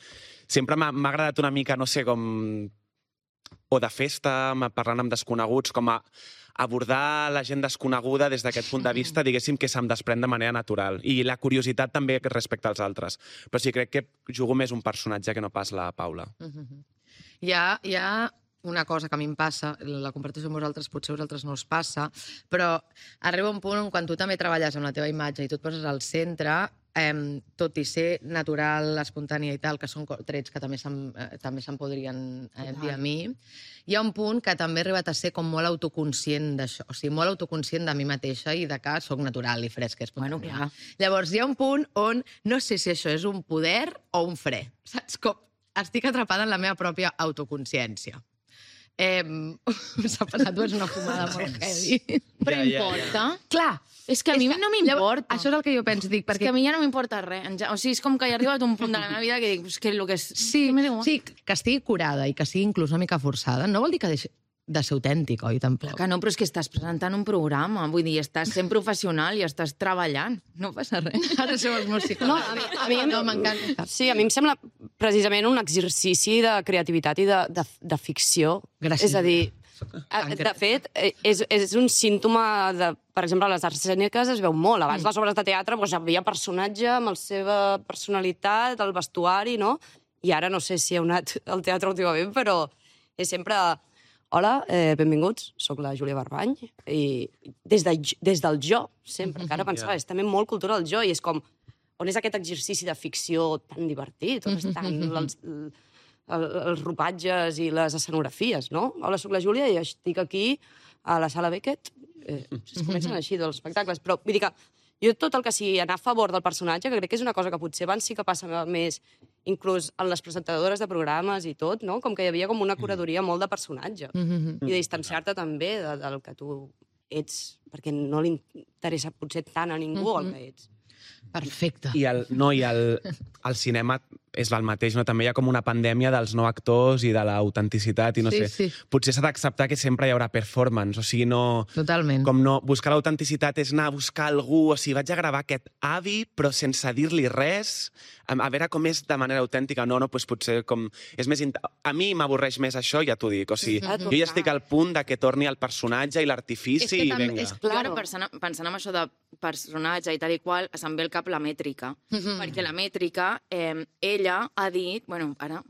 Sempre m'ha agradat una mica, no sé, com... o de festa, parlant amb desconeguts, com a abordar la gent desconeguda des d'aquest punt de vista, diguéssim, que se'm desprèn de manera natural. I la curiositat també respecte als altres. Però sí, crec que jugo més un personatge que no pas la Paula. Hi ha una cosa que a mi em passa, la comparteixo amb vosaltres, potser a vosaltres no us passa, però arriba un punt on quan tu també treballes amb la teva imatge i tu et poses al centre, tot i ser natural, espontània i tal, que són trets que també se'n podrien dir a mi, hi ha un punt que també he arribat a ser com molt autoconscient d'això, o sigui, molt autoconscient de mi mateixa i de que soc natural i fresca, espontània. Bueno, clar. Llavors, hi ha un punt on no sé si això és un poder o un fre, saps? Com estic atrapada en la meva pròpia autoconsciència. S'ha passat, és una fumada molt heavy. Però importa? Clar. És que a mi no m'importa. Això és el que jo penso, dic, perquè... És que a mi ja no m'importa res. O sigui, és com que he arribat a un punt de la meva vida que dic, és que el que és... Sí, que estigui curada i que sigui inclús una mica forçada, no vol dir que deixi de ser autèntic, oi? Tampoc. Que no, però és que estàs presentant un programa. Vull dir, estàs sent professional i estàs treballant. No passa res. Ara som els meus psicòlegs. No, a mi m'encanta. Sí, a mi em sembla precisament un exercici de creativitat i de ficció. Gràcies. És a dir, de fet, és un símptoma de... Per exemple, a les arts escèniques es veu molt. Abans les obres de teatre hi havia personatge amb la seva personalitat, el vestuari, no? I ara no sé si heu anat al teatre últimament, però és sempre Hola, benvinguts, sóc la Júlia Barbany, i des del jo, sempre, que ara pensava, és també molt cultura del jo, i és com, on és aquest exercici de ficció tan divertit, on estan els ropatges i les escenografies, no? Hola, sóc la Júlia i estic aquí a la Sala Beckett. Es comencen així dels espectacles, però vull dir que jo tot el que sigui anar a favor del personatge, que crec que és una cosa que potser abans sí que passa més, inclús en les presentadores de programes i tot, no? Com que hi havia com una curadoria molt de personatge. I de distanciar-te també del que tu ets, perquè no li interessa potser tant a ningú el que ets. Perfecte. I el cinema és el mateix, no? També hi ha com una pandèmia dels no actors i de l'autenticitat, i no sé. Potser s'ha d'acceptar que sempre hi haurà performance, o sigui, no... Totalment. Com no... Buscar l'autenticitat és anar a buscar algú, o sigui, vaig a gravar aquest avi, però sense dir-li res, a veure com és de manera autèntica. No, doncs potser com... És més... A mi m'avorreix més això, ja t'ho dic. O sigui, jo ja estic al punt de que torni el personatge i l'artifici i vinga. És clar, pensant en això de personatge i tal i qual, se'm ve al cap la mètrica. Perquè la mètrica, ella ha dit, bueno, ara,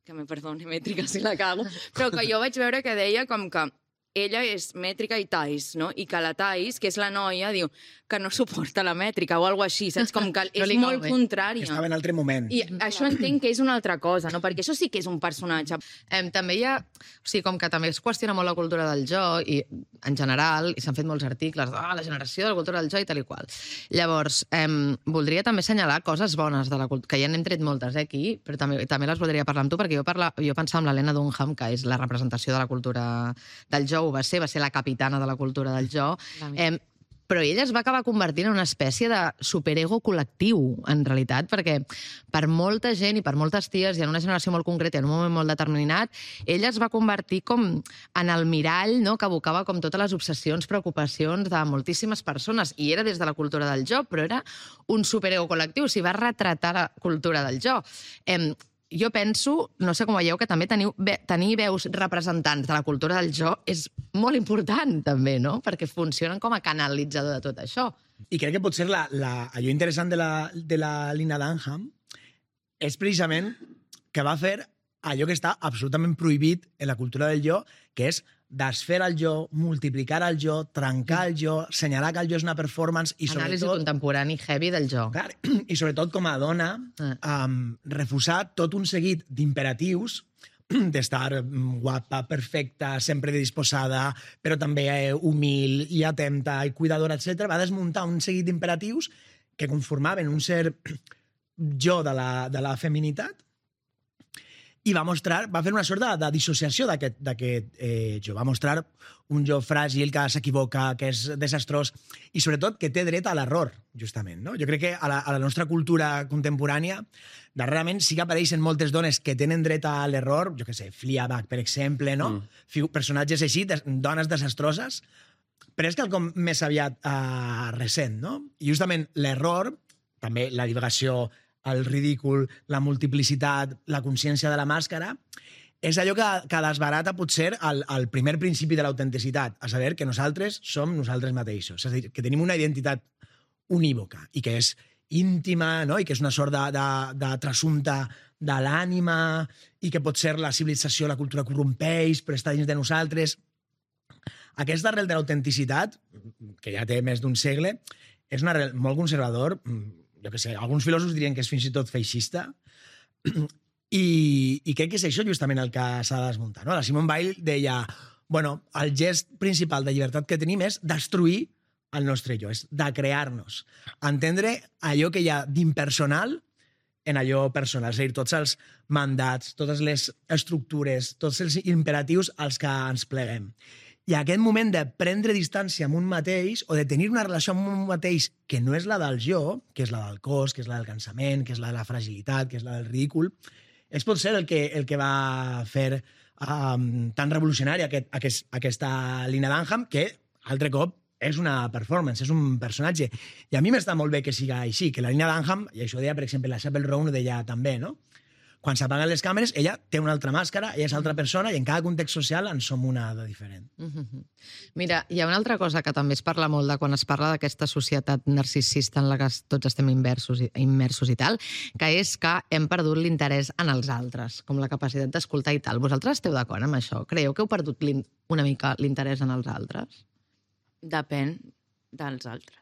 que me perdoni mètrica si la cago, però que jo vaig veure que deia com que ella és mètrica i Thais, no? I que la Thais, que és la noia, diu que no suporta la mètrica o alguna així, saps? Com que és molt contrària. Estava en altre moment. I això entenc que és una altra cosa, no? Perquè això sí que és un personatge. També hi ha... O sigui, com que també es qüestiona molt la cultura del jo, i en general, i s'han fet molts articles de la generació de la cultura del jo i tal i qual. Llavors, voldria també assenyalar coses bones de la cultura, que ja n'hem tret moltes aquí, però també les voldria parlar amb tu, perquè jo pensava en l'Helena Dunham, que és la representació de la cultura del jo, va ser la capitana de la cultura del jo, però ella es va acabar convertint en una espècie de superego col·lectiu, en realitat, perquè per molta gent i per moltes ties, i en una generació molt concreta, en un moment molt determinat, ella es va convertir com en el mirall, no?, que abocava com totes les obsessions, preocupacions de moltíssimes persones, i era des de la cultura del jo, però era un superego col·lectiu, o sigui, va retratar la cultura del jo. Jo penso, no sé com veieu, que també tenir veus representants de la cultura del jo és molt important, també, no? Perquè funcionen com a canalitzador de tot això. I crec que potser allò interessant de la Lena Dunham és precisament que va fer allò que està absolutament prohibit en la cultura del jo, que és desfer el jo, multiplicar el jo, trencar el jo, assenyalar que el jo és una performance i sobretot... Anàlisi contemporani heavy del jo. Clar, i sobretot com a dona, refusar tot un seguit d'imperatius d'estar guapa, perfecta, sempre disposada, però també humil i atenta i cuidadora, etc. Va desmuntar un seguit d'imperatius que conformaven un cert jo de la feminitat i va fer una sort de dissociació d'aquest jo. Va mostrar un jo fràgil, que s'equivoca, que és desastrós, i sobretot que té dret a l'error, justament. No? Jo crec que a la nostra cultura contemporània, darrerament sí que apareixen moltes dones que tenen dret a l'error, jo què sé, Fleabag, per exemple, no? Personatges així, dones desastroses, però és quelcom més aviat recent, no? I justament l'error, també la divagació, el ridícul, la multiplicitat, la consciència de la màscara, és allò que desbarata potser el primer principi de l'autenticitat, a saber que nosaltres som nosaltres mateixos, és a dir, que tenim una identitat unívoca i que és íntima, no? I que és una sort de trasunta de l'ànima i que potser la civilització, la cultura corrompeix, però està dins de nosaltres. Aquesta arrel de l'autenticitat, que ja té més d'un segle, és una arrel molt conservador, jo què sé, alguns filòsofs dirien que és fins i tot feixista, i crec que és això justament el que s'ha de desmuntar. No? La Simone Weil deia, bueno, el gest principal de llibertat que tenim és destruir el nostre jo, és de crear-nos, entendre allò que hi ha d'impersonal en allò personal, és a dir, tots els mandats, totes les estructures, tots els imperatius als que ens pleguem. I aquest moment de prendre distància amb un mateix o de tenir una relació amb un mateix que no és la del jo, que és la del cos, que és la del cansament, que és la de la fragilitat, que és la del ridícul, és potser el que va fer tan revolucionària aquesta Lena Dunham, que, altre cop, és una performance, és un personatge. I a mi m'està molt bé que siga així, que la Lena Dunham, i això ho deia, per exemple, la Chappell Roan ho deia també, no? quan s'apaguen les càmeres, ella té una altra màscara, ella és altra persona, i en cada context social en som una de diferent. Mira, hi ha una altra cosa que també es parla molt de quan es parla d'aquesta societat narcisista en la que tots estem immersos i tal, que és que hem perdut l'interès en els altres, com la capacitat d'escoltar i tal. Vosaltres esteu d'acord amb això? Creieu que heu perdut una mica l'interès en els altres? Depèn dels altres.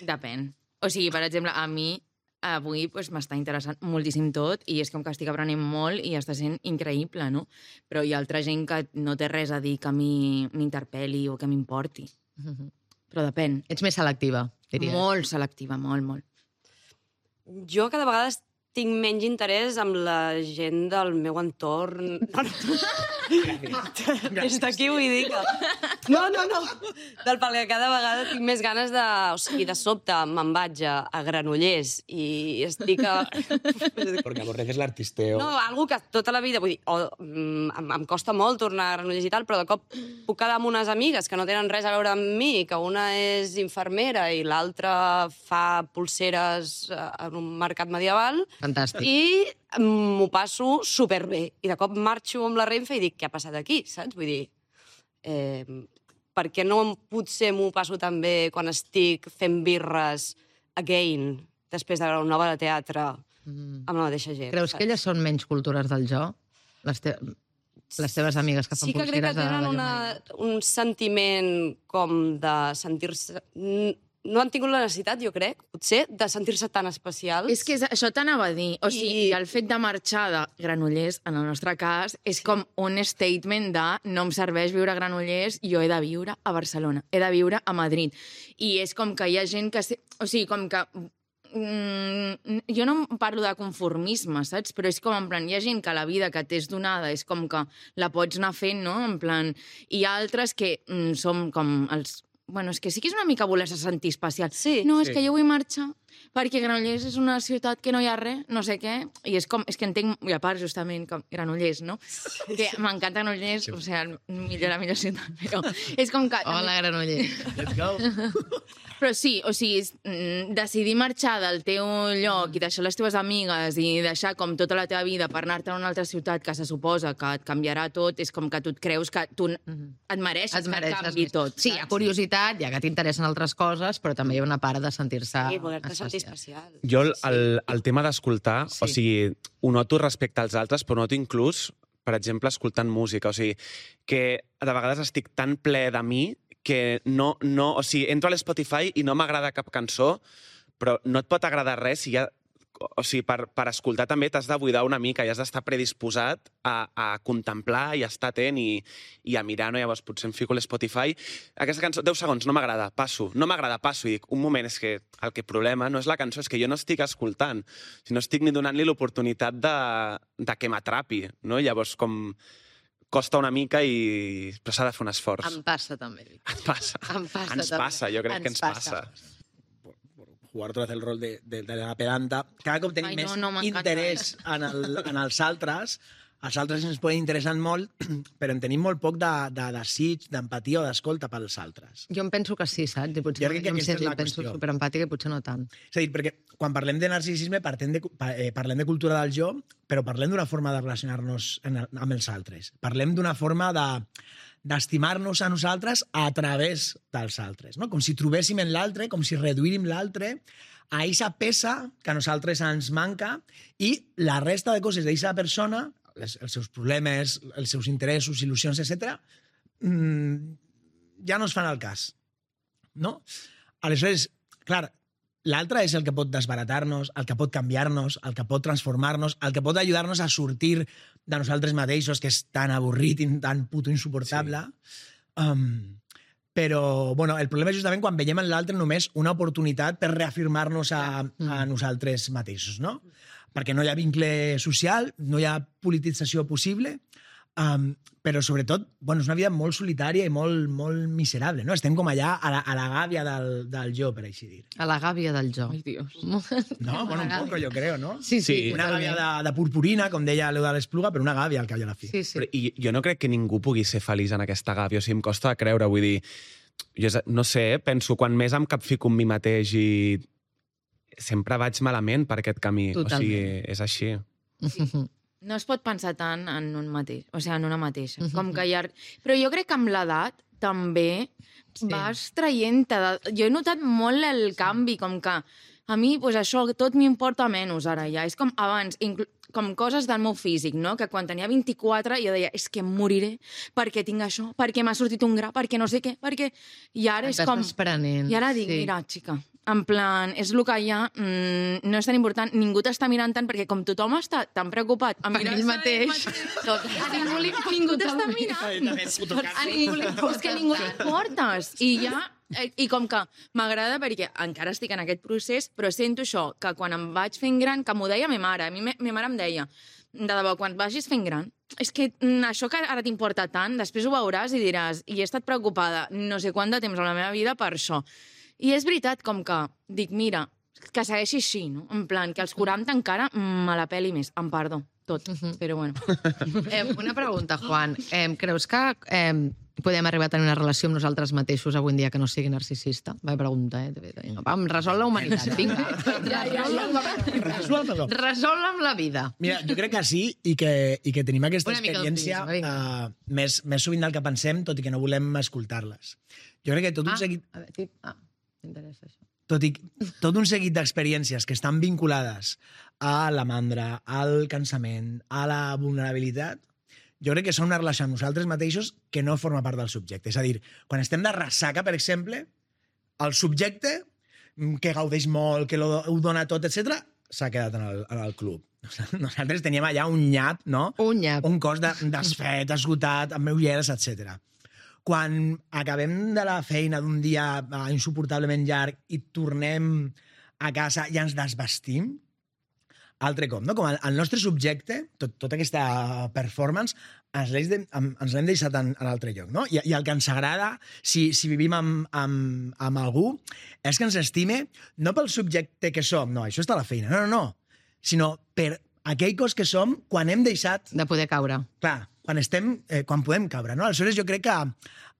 Depèn. O sigui, per exemple, a mi avui m'està interessant moltíssim tot i és com que estic aprenent molt i està sent increïble, no? Però hi ha altra gent que no té res a dir que a mi m'interpel·li o que m'importi. Però depèn. Ets més selectiva, diries. Molt selectiva, molt, molt. Jo cada vegada tinc menys interès amb la gent del meu entorn. Des d'aquí vull dir que... No. Perquè cada vegada tinc més ganes de... O sigui, de sobte me'n vaig a Granollers i estic a... Perquè aborreces l'artisteo. No, algú que tota la vida... Vull dir, em costa molt tornar a Granollers i tal, però de cop puc quedar amb unes amigues que no tenen res a veure amb mi, que una és infermera i l'altra fa pulseres en un mercat medieval. Fantàstic. I m'ho passo superbé. I de cop marxo amb la Renfe i dic, què ha passat aquí, saps? Vull dir, per què no potser m'ho passo també quan estic fent birres again, després de una obra de teatre, amb la mateixa gent? Creus que elles són menys cultures del jo? Les teves amigues que fan sí que crec que pulseres tenen un sentiment com de sentir-se... No han tingut la necessitat, jo crec, potser, de sentir-se tan especials. És que això t'anava a dir. O sigui, el fet de marxar de Granollers, en el nostre cas, és com un statement de no em serveix viure a Granollers, jo he de viure a Barcelona, he de viure a Madrid. I és com que hi ha gent que... O sigui, com que... jo no parlo de conformisme, saps? Però és com, en plan, hi ha gent que la vida que t'és donada és com que la pots anar fent, no? En plan... I hi ha altres que som com els... Bueno, és que sí que és una mica voler-se sentir especial. Sí. No, és que jo vull marxar perquè Granollers és una ciutat que no hi ha res, no sé què, i és com, és que entenc, i a part, justament, com Granollers, no? Sí. Que m'encanta Granollers, o sigui, la millor ciutat, però és com que... Hola, Granollers. Let's go. Però sí, o sigui, decidir marxar del teu lloc i deixar les teves amigues i deixar com tota la teva vida per anar-te a una altra ciutat que se suposa que et canviarà tot, és com que tu et creus que tu et mereixes que canvi tot. Sí, hi ha curiositat, hi ha que t'interessen altres coses, però també hi ha una part de sentir-se... Sí, voler-te sentir especial. Jo el tema d'escoltar, Sí. o sigui, ho noto respecte als altres, però noto inclús, per exemple, escoltant música. O sigui, que de vegades estic tan ple de mi que no, o sigui, entro a l'Spotify i no m'agrada cap cançó, però no et pot agradar res si ja... O sigui, per escoltar també t'has de buidar una mica i has d'estar predisposat a contemplar i a estar atent i a mirar, no? Llavors potser em fico a l'Spotify. Aquesta cançó, 10 segons, no m'agrada, passo. No m'agrada, passo. I dic, un moment, és que el problema no és la cançó, és que jo no estic escoltant, sinó estic ni donant-li l'oportunitat de que m'atrapi, no? Llavors, com... costa una mica, però s'ha de fer un esforç. Em passa, també. Ens passa. Ens passa, jo crec que ens passa. Jugar otra vez el rol de la pedanta. Cada cop tenim més interès en els altres. Els altres ens poden interessar molt, però en tenim molt poc de desig, d'empatia o d'escolta pels altres. Jo em penso que sí, saps? I potser Jo crec que aquesta és la penso qüestió. superempàtica i potser no tant. És a dir, perquè quan parlem de narcisisme parlem de cultura del jo, però parlem d'una forma de relacionar-nos amb els altres. Parlem d'una forma d'estimar-nos a nosaltres a través dels altres, no? Com si trobéssim en l'altre, com si reduïm l'altre a aquesta peça que a nosaltres ens manca i la resta de coses d'aquesta persona, els seus problemes, els seus interessos, il·lusions, etc., ja no es fan al cas. No? Aleshores, clar, l'altre és el que pot desbaratar-nos, el que pot canviar-nos, el que pot transformar-nos, el que pot ajudar-nos a sortir de nosaltres mateixos, que és tan avorrit i tan puto insuportable. Sí. Però, bueno, el problema és justament quan veiem en l'altre només una oportunitat per reafirmar-nos a nosaltres mateixos, no? Perquè no hi ha vincle social, no hi ha politització possible, però sobretot, bueno, és una vida molt solitària i molt miserable, no? Estem com allà a la gàbia del jo, per així dir. A la gàbia del jo. Ai, Dios. No, bueno, un poco, jo crec, no? Sí. Una gàbia de purpurina, com deia l'Euda l'Espluga, però una gàbia al cap i a la fi. Sí. I jo no crec que ningú pugui ser feliç en aquesta gàbia, o sigui, em costa de creure, vull dir, no sé, penso, quan més em capfico amb mi mateix i sempre vaig malament per aquest camí. Totalment. O sigui, és així. No es pot pensar tant en un mateix, o sigui, en una mateixa. Com que Però jo crec que amb l'edat també vas traient... Jo he notat molt el canvi, com que a mi, doncs això, tot m'importa menys ara ja. És com abans, com coses del meu físic, no? Que quan tenia 24 jo deia, és que em moriré perquè tinc això, perquè m'ha sortit un gra, perquè no sé què, perquè... I ara és com... Desprenent. I ara dic, mira, xica, en plan, és el que hi ha, no és tan important, ningú t'està mirant tant, perquè com tothom està tan preocupat a Per ell mateix. a ningú t'està mirant. És que ningú t'importes. I com que m'agrada perquè encara estic en aquest procés, però sento això, que quan em vaig fent gran, que m'ho deia ma mare, a mi ma mare em deia, de debò, quan vagis fent gran, és que això que ara t'importa tant, després ho veuràs i diràs, i he estat preocupada no sé quant de temps a la meva vida per això. I és veritat, com que dic, mira, que segueixi així, no? En plan, que als 40 encara me la peli més, em perdó, tot, però bueno. Una pregunta, Juan. Creus que podem arribar a tenir una relació amb nosaltres mateixos avui en dia que no sigui narcisista? Va, pregunta, Vinga, vam, resol la humanitat, vinga. Resol amb la vida. Mira, jo crec que sí i que tenim aquesta Una mica experiència d'optimisme, més sovint del que pensem, tot i que no volem escoltar-les. Jo crec que tot un seguit... m'interessa això. Tot un seguit d'experiències que estan vinculades a la mandra, al cansament, a la vulnerabilitat, jo crec que són una relació amb nosaltres mateixos que no forma part del subjecte. És a dir, quan estem de ressaca, per exemple, el subjecte, que gaudeix molt, que ho dona tot, etc, s'ha quedat en el club. Nosaltres teníem allà un nyap, no? Un nyap. Un cos desfet, esgotat, amb ulleres, etc. Quan acabem de la feina d'un dia insuportablement llarg i tornem a casa i ens desvestim, altre cop, no? Com el nostre subjecte, tota aquesta performance, ens l'hem deixat en altre lloc, no? I el que ens agrada, si vivim amb algú, és que ens estime no pel subjecte que som, no, això està a la feina, no, sinó per aquell cos que som quan hem deixat... De poder caure. Clar, quan podem caure, no? Aleshores, jo crec que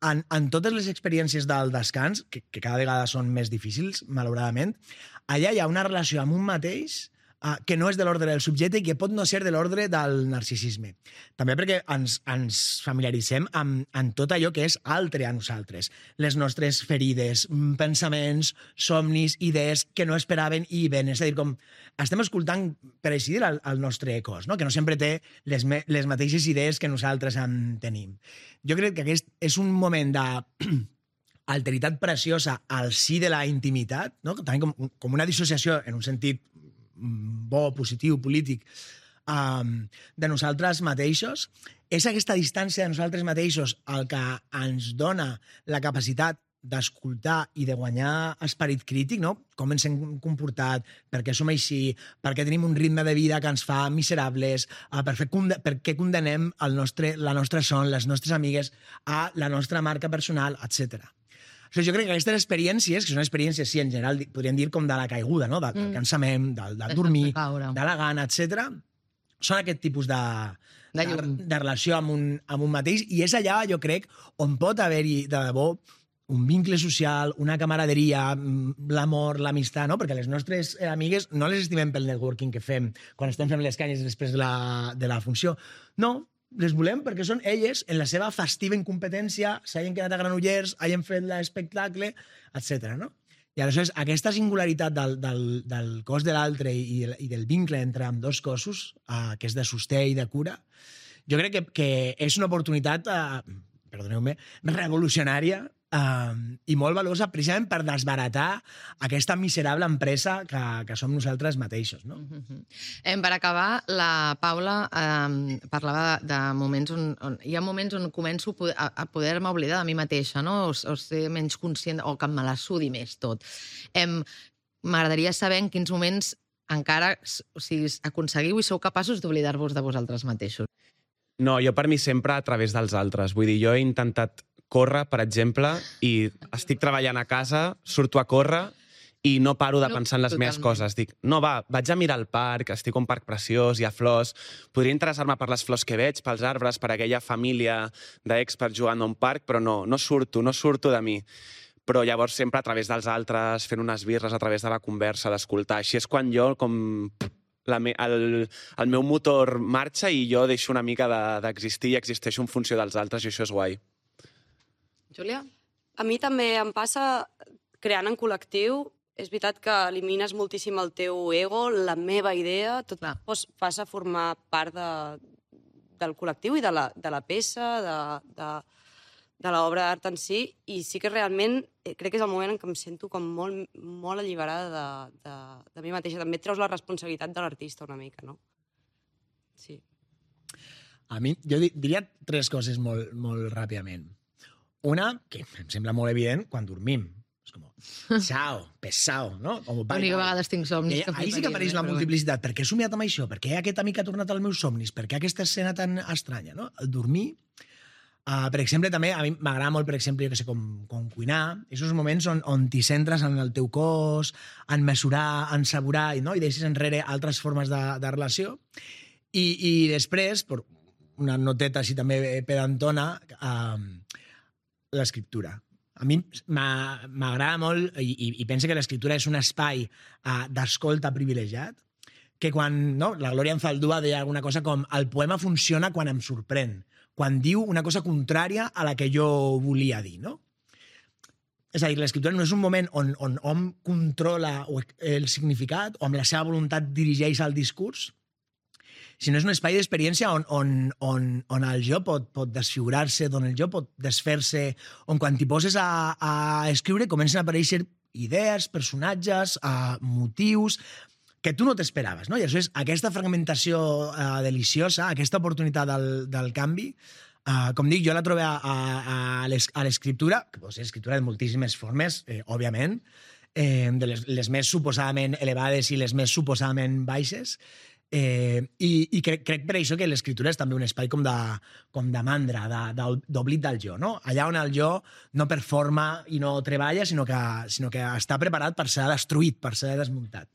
en totes les experiències del descans, que cada vegada són més difícils, malauradament, allà hi ha una relació amb un mateix que no és de l'ordre del subjecte i que pot no ser de l'ordre del narcisisme. També perquè ens familiaritzem amb tot allò que és altre a nosaltres. Les nostres ferides, pensaments, somnis, idees que no esperaven i ven. És a dir, com estem escoltant, per així dir, el nostre cos, no? Que no sempre té les mateixes idees que nosaltres en tenim. Jo crec que aquest és un moment d'alteritat preciosa al si de la intimitat, no? També com una dissociació en un sentit bo, positiu, polític, de nosaltres mateixos. És aquesta distància de nosaltres mateixos el que ens dona la capacitat d'escoltar i de guanyar esperit crític, no? Com ens hem comportat, per què som així, per què tenim un ritme de vida que ens fa miserables, per què condenem la nostra son, les nostres amigues, a la nostra marca personal, etc. Jo crec que aquestes experiències, que són experiències, sí, en general, podríem dir com de la caiguda, no? Del cansament, del dormir, de la gana, etc. Són aquest tipus de relació amb un mateix, i és allà, jo crec, on pot haver-hi, de debò, un vincle social, una camaraderia, l'amor, l'amistat, no? Perquè les nostres amigues no les estimem pel networking que fem quan estem fent les canyes després de la funció. No, les volem perquè són elles, en la seva festiva incompetència, s'hagin quedat a Granollers, hagin fet l'espectacle, etc. No? I aleshores, aquesta singularitat del cos de l'altre i del vincle entre ambdós cossos, que és de sosté i de cura, jo crec que és una oportunitat, perdoneu-me, revolucionària i molt valuosa precisament per desbaratar aquesta miserable empresa que som nosaltres mateixos. No? Per acabar, la Paula parlava de moments on hi ha moments on començo a poder-me oblidar de mi mateixa, no? O ser menys conscient, o que me la sudi més tot. M'agradaria saber en quins moments encara aconseguiu i sou capaços d'oblidar-vos de vosaltres mateixos. No, jo per mi sempre a través dels altres. Vull dir, jo he intentat córrer, per exemple, i estic treballant a casa, surto a córrer i no paro de pensar en les meves totalment. coses. Dic, no, va, vaig a mirar el parc, estic a un parc preciós, hi ha flors, podria interessar-me per les flors que veig, pels arbres, per aquella família d'experts jugant a un parc, però no surto de mi. Però llavors sempre a través dels altres, fent unes birres, a través de la conversa, d'escoltar. Així és quan jo, el meu motor marxa i jo deixo una mica d'existir i existeixo en funció dels altres, i això és guai. Júlia? A mi també em passa creant en col·lectiu. És veritat que elimines moltíssim el teu ego, la meva idea, tot passa a formar part del col·lectiu i de la peça, de l'obra d'art en si, i sí que realment crec que és el moment en què em sento com molt alliberada de mi mateixa. També et treus la responsabilitat de l'artista una mica, no? Sí. A mi, jo diria 3 coses molt ràpidament. Una, que em sembla molt evident, quan dormim. És com, xao, pesao, no? L'única vegada tinc somnis. Ahí sí que apareix la multiplicitat. Per què he somiat amb això? Per què aquest amic ha tornat als meus somnis? Per què aquesta escena tan estranya, no? El dormir, per exemple, també, a mi m'agrada molt, per exemple, jo que sé, com cuinar, aquests moments on t'hi centres en el teu cos, en mesurar, en saborar, no? I deixes enrere altres formes de relació. I després, per una noteta així també pedantona, l'escriptura. A mi m'agrada molt, i penso que l'escriptura és un espai d'escolta privilegiat, que quan la Glòria Anzaldúa deia alguna cosa com el poema funciona quan em sorprèn, quan diu una cosa contrària a la que jo volia dir, no? És a dir, l'escriptura no és un moment on hom controla el significat o amb la seva voluntat dirigeix el discurs, sinó és un espai d'experiència on el jo pot desfigurar-se, on el jo pot desfer-se, on quan t'hi poses a escriure comencen a aparèixer idees, personatges, motius que tu no t'esperaves, no? I això és aquesta fragmentació deliciosa, aquesta oportunitat del canvi. Com dic, jo la trobo a l'escriptura, que pot ser escriptura de moltíssimes formes, òbviament, de les més suposadament elevades i les més suposadament baixes, i crec per això que l'escriptura és també un espai com de mandra, d'oblit del jo, no? Allà on el jo no performa i no treballa, sinó que està preparat per ser destruït, per ser desmuntat.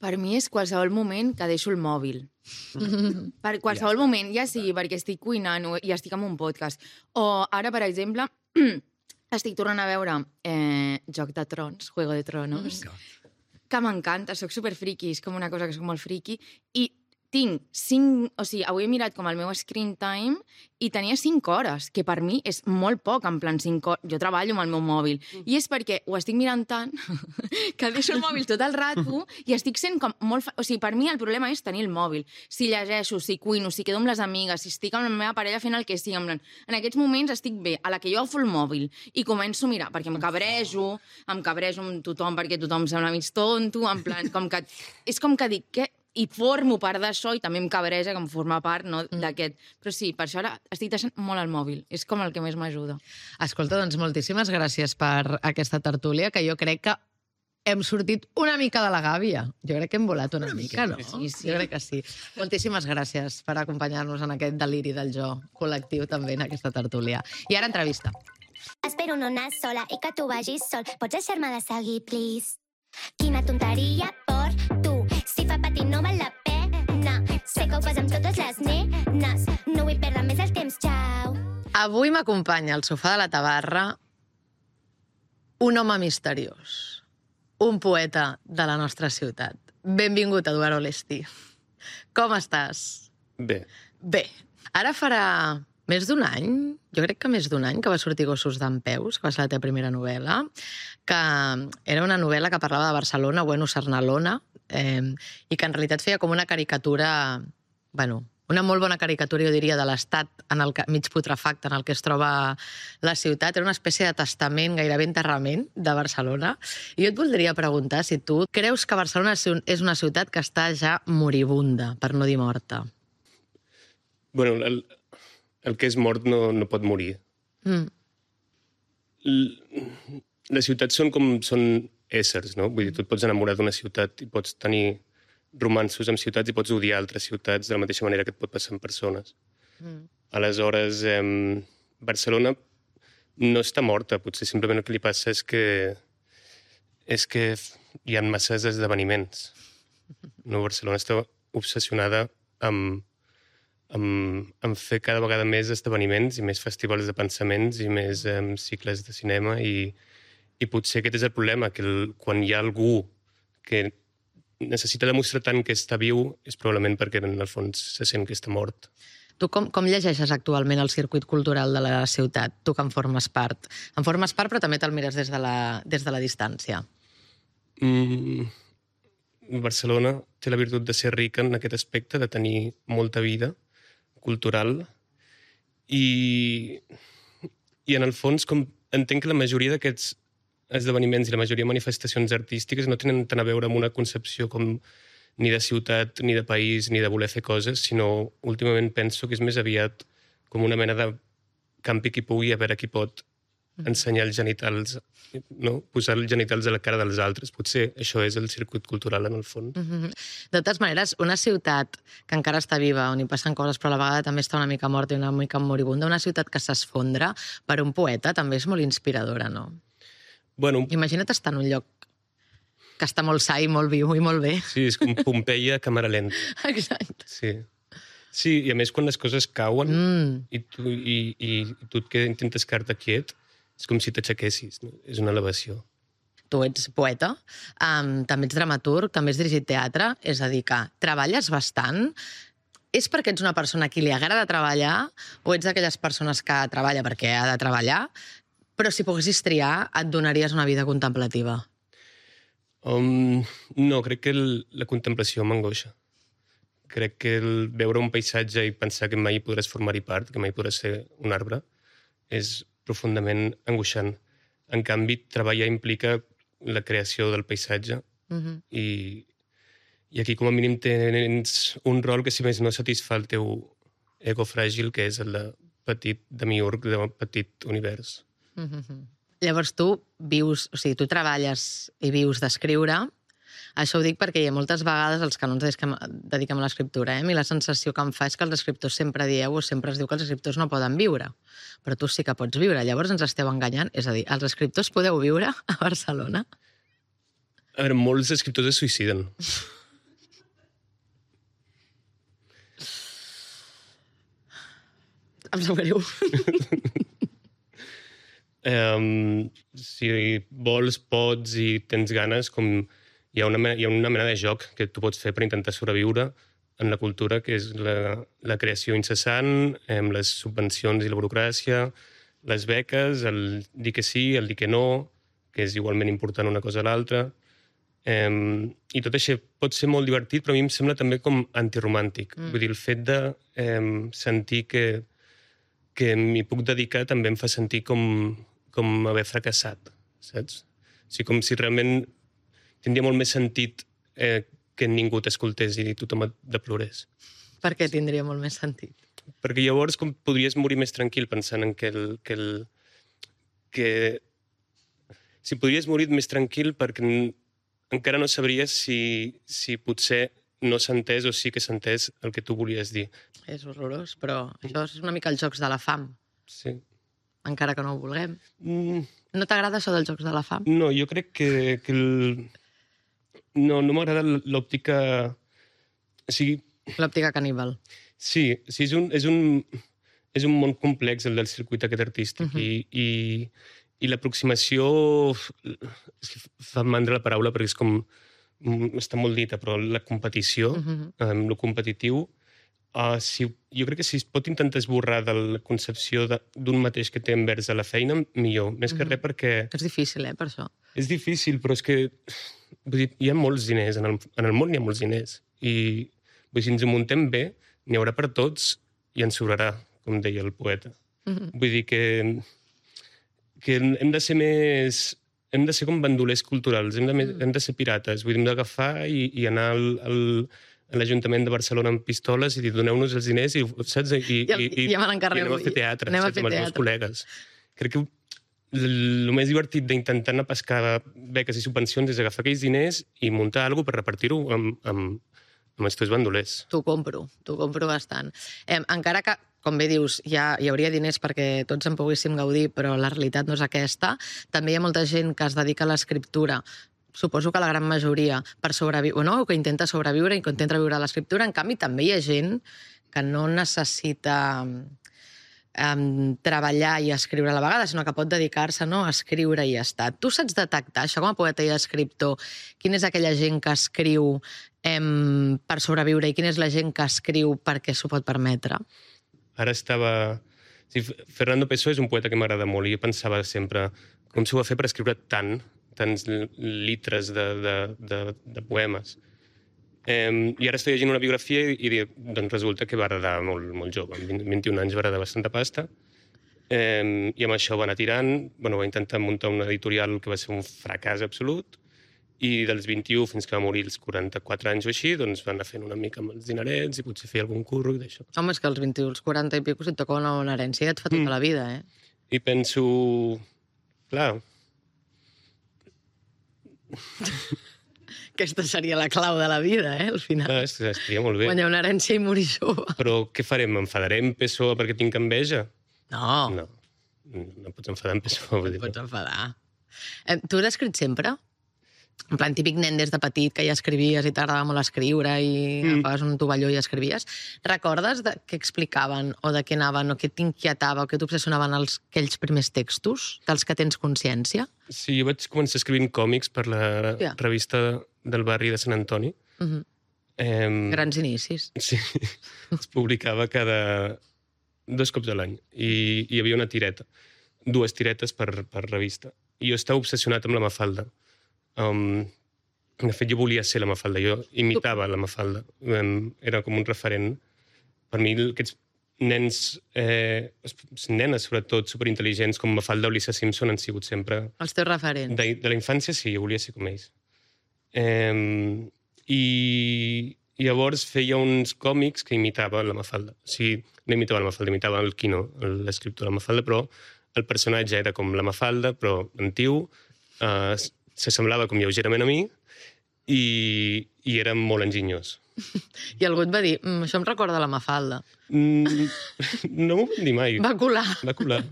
Per mi és qualsevol moment que deixo el mòbil. Per qualsevol moment, ja sigui perquè estic cuinant i estic en un podcast, o ara, per exemple, estic tornant a veure Joc de Trons, Juego de Tronos, que m'encanta, soc superfriqui, és com una cosa que soc molt friqui, i tinc 5... O sigui, avui he mirat com el meu screen time i tenia 5 hores, que per mi és molt poc, en plan 5 hores. Jo treballo amb el meu mòbil. I és perquè ho estic mirant tant que deixo el mòbil tot el rato i estic sent com molt... O sigui, per mi el problema és tenir el mòbil. Si llegeixo, si cuino, si quedo amb les amigues, si estic amb la meva parella fent el que sigui, en aquests moments estic bé. A la que jo agafo el mòbil i començo a mirar, perquè em cabrejo amb tothom, perquè tothom sembla mig tonto, en plan, com que... És com que dic, què? I formo part d'això i també em cabreja que em forma part, no, d'aquest. Però sí, per això ara estic deixant molt el mòbil. És com el que més m'ajuda. Escolta, doncs moltíssimes gràcies per aquesta tertúlia, que jo crec que hem sortit una mica de la gàbia. Jo crec que hem volat una mica, no? Sí. Jo crec que sí. Moltíssimes gràcies per acompanyar-nos en aquest deliri del jo col·lectiu també en aquesta tertúlia. I ara entrevista. Espero no anar sola i que tu vagis sol. Pots deixar-me de seguir, please? Quina tonteria per tu. Si fa patir no val la pena. Sé que ho fas amb totes les nenes. No vull perdre més el temps, xau. Avui m'acompanya al sofà de la tabarra un home misteriós, un poeta de la nostra ciutat. Benvingut, Eduard Olesti. Com estàs? Bé. Bé. Ara farà més d'un any, jo crec que més d'un any, que va sortir Gossos d'Empeus, que va ser la teva primera novel·la, que era una novel·la que parlava de Barcelona, bueno, Sarnalona, i que en realitat feia com una caricatura, bueno, una molt bona caricatura, jo diria, de l'estat mig putrefacte en el que es troba la ciutat. Era una espècie de testament, gairebé enterrament, de Barcelona. I jo et voldria preguntar si tu creus que Barcelona és una ciutat que està ja moribunda, per no dir morta. Bueno, el que és mort no pot morir. Les ciutats són éssers, no? Vull dir, tu et pots enamorar d'una ciutat i pots tenir romanços amb ciutats i pots odiar altres ciutats de la mateixa manera que et pot passar amb persones. Aleshores, Barcelona no està morta, potser simplement el que li passa és que és que hi ha masses esdeveniments. No, Barcelona està obsessionada amb fer cada vegada més esdeveniments i més festivals de pensaments i més cicles de cinema i potser aquest és el problema, que quan hi ha algú que necessita demostrar tant que està viu és probablement perquè en el fons se sent que està mort. Tu com llegeixes actualment el circuit cultural de la ciutat? Tu que en formes part. En formes part, però també te'l mires des de la distància. Barcelona té la virtut de ser rica en aquest aspecte, de tenir molta vida cultural i en el fons entenc que la majoria d'aquests esdeveniments i la majoria de manifestacions artístiques no tenen tant a veure amb una concepció com ni de ciutat, ni de país, ni de voler fer coses, sinó últimament penso que és més aviat com una mena de campi qui pugui, a veure qui pot ensenyar els genitals, no? Posar els genitals a la cara dels altres. Potser això és el circuit cultural, en el fons. De totes maneres, una ciutat que encara està viva, on hi passen coses, però a la vegada també està una mica morta i una mica moribunda, una ciutat que s'esfondra per un poeta també és molt inspiradora, no? Bueno, imagina't estar en un lloc que està molt sa i molt viu i molt bé. Sí, és com Pompeia a càmera lenta. Exacte. Sí, i a més quan les coses cauen i tu que intentes quedar-te quiet, és com si t'aixequessis, no? És una elevació. Tu ets poeta, també ets dramaturg, també has dirigit teatre, és a dir, que treballes bastant. És perquè ets una persona a qui li agrada treballar o ets d'aquelles persones que treballa perquè ha de treballar, però si poguessis triar et donaries una vida contemplativa? No, crec que la contemplació m'angoixa. Crec que veure un paisatge i pensar que mai podràs formar-hi part, que mai podràs ser un arbre, és profundament angoixant. En canvi, treballar implica la creació del paisatge i aquí com a mínim tens un rol que si més no satisfà el teu ego fràgil, que és el de petit demiurg, de petit univers. Llavors tu vius, o sigui, tu treballes i vius d'escriure. Això ho dic perquè hi ha moltes vegades els que no ens dediquem a l'escriptura, a mi la sensació que em fa és que els escriptors sempre dieu o sempre es diu que els escriptors no poden viure, però tu sí que pots viure, llavors ens esteu enganyant, és a dir, els escriptors podeu viure a Barcelona? A veure, molts escriptors es suïciden. Em sap greu. Si vols, pots i tens ganes, com hi ha una mena de joc que tu pots fer per intentar sobreviure en la cultura, que és la creació incessant, les subvencions i la burocràcia, les beques, el dir que sí, el dir que no, que és igualment important una cosa a l'altra. I tot això pot ser molt divertit, però a mi em sembla també com antiromàntic. Vull dir, el fet de sentir que m'hi puc dedicar també em fa sentir com haver fracassat, saps? O sigui, com si realment tindria molt més sentit que ningú t'escoltés i tothom et deplorés. Per què tindria molt més sentit? Perquè llavors com podries morir més tranquil pensant en si podries morir més tranquil perquè encara no sabries si potser no s'ha entès o sí que s'ha entès el que tu volies dir. És horrorós, però això és una mica els jocs de la fam. Sí. Encara que no ho vulguem. No t'agrada això dels jocs de la fam? No, jo crec que no m'agrada l'òptica... O sigui... L'òptica caníbal. Sí, és un món complex, el del circuit aquest artístic, i l'aproximació... Fa mandra la paraula perquè és com... Està molt dita, però la competició, lo competitiu, jo crec que si es pot intentar esborrar de la concepció d'un mateix que té envers a la feina, millor. Més que res perquè... És difícil, per això. És difícil, però és que... Vull dir, hi ha molts diners, en el món hi ha molts diners. I si ens ho muntem bé, n'hi haurà per tots i ens sobrarà, com deia el poeta. Vull dir que hem de ser més... Hem de ser com bandolers culturals, hem de ser pirates. Vull dir, hem d'agafar i anar a l'Ajuntament de Barcelona amb pistoles i dir, doneu-nos els diners i, saps? I anem a fer teatre, saps? Amb els meus col·legues. Crec que el més divertit d'intentar anar a pescar beques i subvencions és agafar aquells diners i muntar alguna cosa per repartir-ho amb els teus bandolers. T'ho compro bastant. Encara que, com bé dius, hi hauria diners perquè tots en poguéssim gaudir, però la realitat no és aquesta. També hi ha molta gent que es dedica a l'escriptura suposo que la gran majoria, per sobreviure, no? Que intenta sobreviure i que intenta viure l'escriptura. En canvi, també hi ha gent que no necessita treballar i escriure a la vegada, sinó que pot dedicar-se, no, a escriure i ja està. Tu saps detectar, això com a poeta i escriptor, quina és aquella gent que escriu per sobreviure i quina és la gent que escriu perquè s'ho pot permetre? Ara estava... Sí, Fernando Pessoa és un poeta que m'agrada molt i jo pensava sempre com s'ho va fer per escriure tants litres de poemes. I ara estic llegint una biografia i doncs resulta que va heredar molt jove. Amb 21 anys va heredar bastanta pasta i amb això va anar tirant. Va intentar muntar una editorial que va ser un fracàs absolut i dels 21 fins que va morir als 44 anys o així, doncs va anar fent una mica amb els dinerets i potser fer algun curro i d'això. Home, és que als 21, als 40 i pico, si et toca una bona herència, et fa tota la vida, eh? I penso... Clar... Aquesta seria la clau de la vida, al final. Estaria molt bé. Guanyar una herència i morir jove. Però què farem? Enfadarem Pessoa perquè tinc enveja? No. No pots enfadar amb Pessoa. No pots enfadar. Tu has escrit sempre? En plan, típic nen des de petit que ja escrivies i t'agradava molt escriure i agafaves un tovalló i escrivies. Recordes de què explicaven o de què anaven o què t'inquietava o què t'obsessionaven aquells primers textos dels que tens consciència? Sí, jo vaig començar escrivint còmics per la revista del barri de Sant Antoni. Grans inicis. Sí, es publicava cada 2 cops a l'any i hi havia una tireta, 2 tiretes per revista. I jo estava obsessionat amb la Mafalda. De fet, jo volia ser la Mafalda, jo imitava la Mafalda. Era com un referent. Per mi, aquests nens, nenes sobretot, superintel·ligents, com Mafalda o Lisa Simpson han sigut sempre... Els teus referents. De la infància, sí, jo volia ser com ells. I llavors feia uns còmics que imitava la Mafalda. O sigui, no imitava la Mafalda, imitava el Quino, l'escriptor de la Mafalda, però el personatge era com la Mafalda, però antiu, s'assemblava com lleugerament a mi i era molt enginyós. I algú et va dir, això em recorda la Mafalda. No m'ho van dir mai. Va colar. Va colar.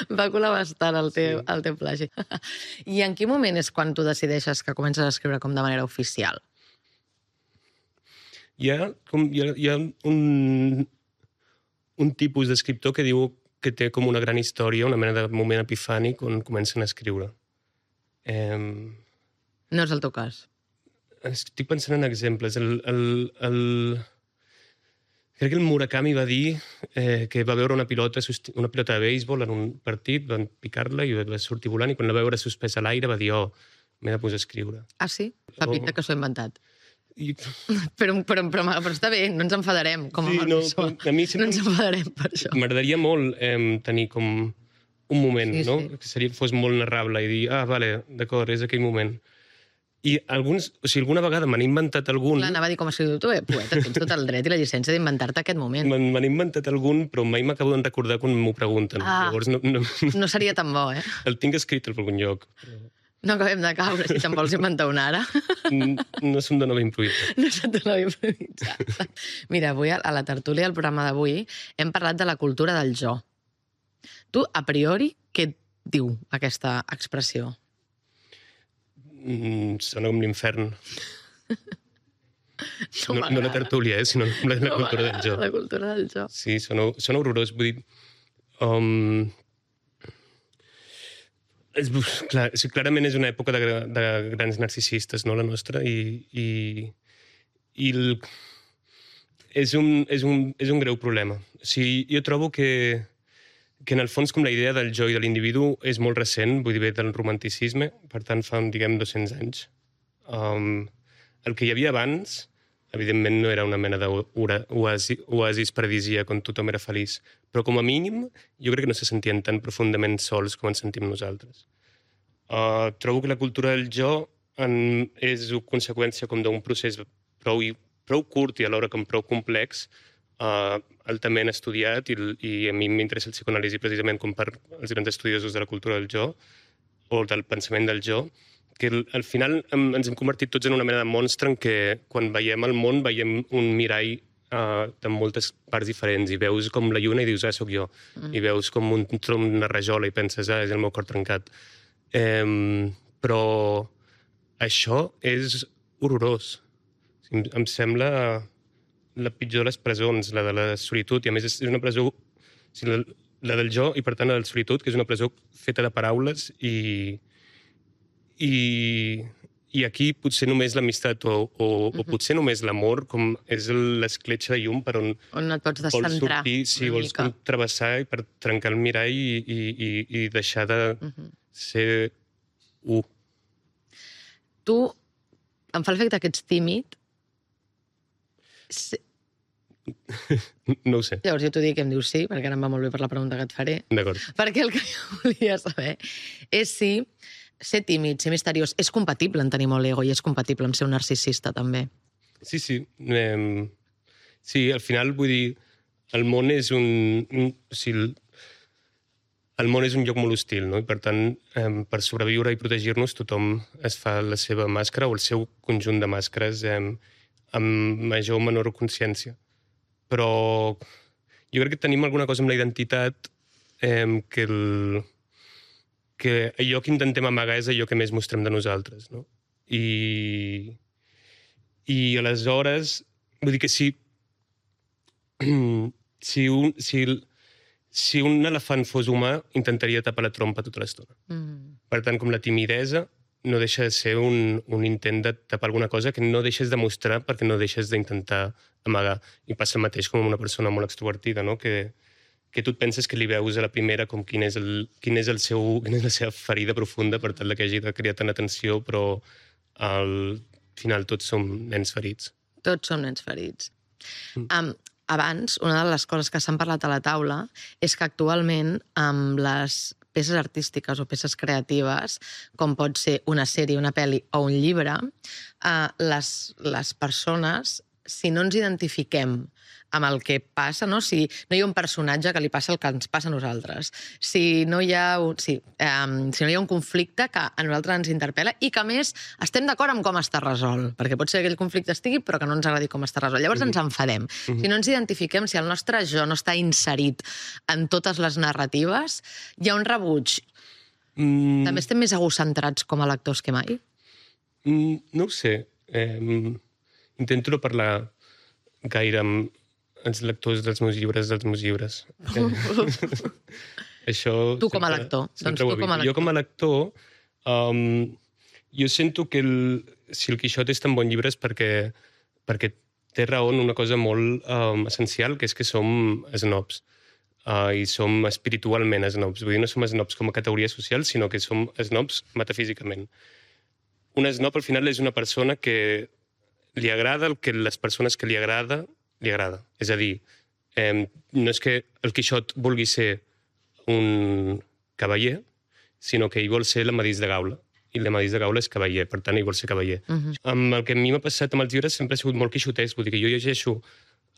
Va colar bastant el teu plagi. I en quin moment és quan tu decideixes que comences a escriure com de manera oficial? Hi ha un tipus d'escriptor que diu que té com una gran història, una mena de moment epifànic on comencen a escriure. No és el teu cas. Estic pensant en exemples. Crec que el Murakami va dir que va veure una pilota de béisbol en un partit, van picar-la i va sortir volant i quan la va veure suspesa a l'aire va dir m'he de posar a escriure. Ah, sí? Fa pinta que s'ho he inventat. Però està bé, no ens enfadarem com a Pessoa. No ens enfadarem per això. M'agradaria molt tenir com un moment, no? Que fos molt narrable i dir, vale, d'acord, és aquell moment. I alguna vegada m'han inventat algun... Clar, anava a dir com a escriptor, poeta, tens tot el dret i la llicència d'inventar-te aquest moment. M'han inventat algun, però mai m'acabo de recordar quan m'ho pregunten. Llavors no seria tan bo, eh? El tinc escrit en algun lloc. No acabem de caure, si te'n vols inventar una ara. No se'm dona bé improvisar. No se'm dona bé improvisar. Mira, avui a la tertúlia, al programa d'avui, hem parlat de la cultura del jo. Tu, a priori, què et diu aquesta expressió? Sona com l'infern. No la tertúlia, sinó la cultura del jo. La cultura del jo. Sí, sona horrorós. Vull dir... Clarament és una època de grans narcisistes, no, la nostra, i és un greu problema. O sigui, jo trobo que en el fons com la idea del jo i de l'individu és molt recent, vull dir, ve del romanticisme, per tant fa, diguem, 200 anys. El que hi havia abans, evidentment no era una mena d'oasis paradisíac on tothom era feliç, però com a mínim jo crec que no se sentien tan profundament sols com ens sentim nosaltres. Trobo que la cultura del jo és conseqüència com d'un procés prou curt i alhora com prou complex, altament estudiat, i a mi m'interessa el psicoanàlisi precisament com per els grans estudiosos de la cultura del jo o del pensament del jo, que al final ens hem convertit tots en una mena de monstre en què quan veiem el món veiem un mirall de moltes parts diferents i veus com la lluna i dius, sóc jo, i veus com un tronc, una rajola i penses, és el meu cor trencat. Però això és horrorós. Em sembla la pitjor de les presons, la de la solitud, i a més és una presó, la del jo i per tant la del solitud, que és una presó feta de paraules i aquí potser només l'amistat o potser només l'amor, com és l'escletxa de llum per on et pots descentrar sortir, sí, vols com travessar per trencar el mirall i deixar de ser u. Tu, em fa l'efecte que ets tímid. No ho sé. Llavors jo t'ho dic i em dius sí, perquè ara em va molt bé per la pregunta que et faré. D'acord. Perquè el que jo volia saber és si ser tímid, ser misteriós, és compatible en tenir molt ego i és compatible amb ser un narcisista, també. Sí. Sí, al final, vull dir, el món és el món és un lloc molt hostil, no? I per tant, per sobreviure i protegir-nos, tothom es fa la seva màscara o el seu conjunt de màscares amb major o menor consciència. Però jo crec que tenim alguna cosa amb la identitat que allò que intentem amagar és allò que més mostrem de nosaltres, no? I aleshores, vull dir que si un elefant fos humà, intentaria tapar la trompa tota l'estona. Per tant, com la timidesa no deixa de ser un intent de tapar alguna cosa que no deixes de mostrar perquè no deixes d'intentar amagar. I passa el mateix com una persona molt extrovertida, no? Que tu et penses que li veus a la primera com quina és la seva ferida profunda per tal que hagi de crear tant atenció, però al final tots som nens ferits. Tots som nens ferits. Abans, una de les coses que s'han parlat a la taula és que actualment amb les peces artístiques o peces creatives, com pot ser una sèrie, una pel·li o un llibre, les persones, si no ens identifiquem amb el que passa, no? Si no hi ha un personatge que li passa el que ens passa a nosaltres, si no hi ha un conflicte que a nosaltres ens interpel·la i que, a més, estem d'acord amb com està resolt, perquè pot ser que aquell conflicte estigui però que no ens agradi com està resolt. Llavors ens enfadem. Si no ens identifiquem, si el nostre jo no està inserit en totes les narratives, hi ha un rebuig. També estem més egocentrats com a lectors que mai? No ho sé. Intento no parlar gaire amb els lectors dels meus llibres. Això tu com a lector. Jo com a lector, jo sento que si el Quixot és tan bon llibre és perquè té raó en una cosa molt essencial, que és que som snobs. I som espiritualment snobs. Vull dir, no som snobs com a categoria social, sinó que som snobs metafísicament. Un snob, al final, és una persona que li agrada el que les persones que li agrada. És a dir, no és que el Quixot vulgui ser un cavaller, sinó que ell vol ser l'amadís de Gaula. I l'amadís de Gaula és cavaller, per tant, ell vol ser cavaller. Amb el que a mi m'ha passat amb els llibres sempre ha sigut molt quixotesc. Vull dir que jo llegeixo,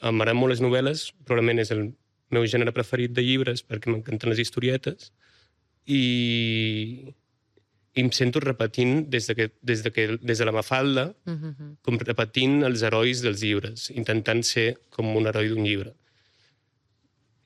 m'agraden molt les novel·les, probablement és el meu gènere preferit de llibres perquè m'encanten les historietes, i em sento repetint des de la Mafalda, com repetint els herois dels llibres, intentant ser com un heroi d'un llibre.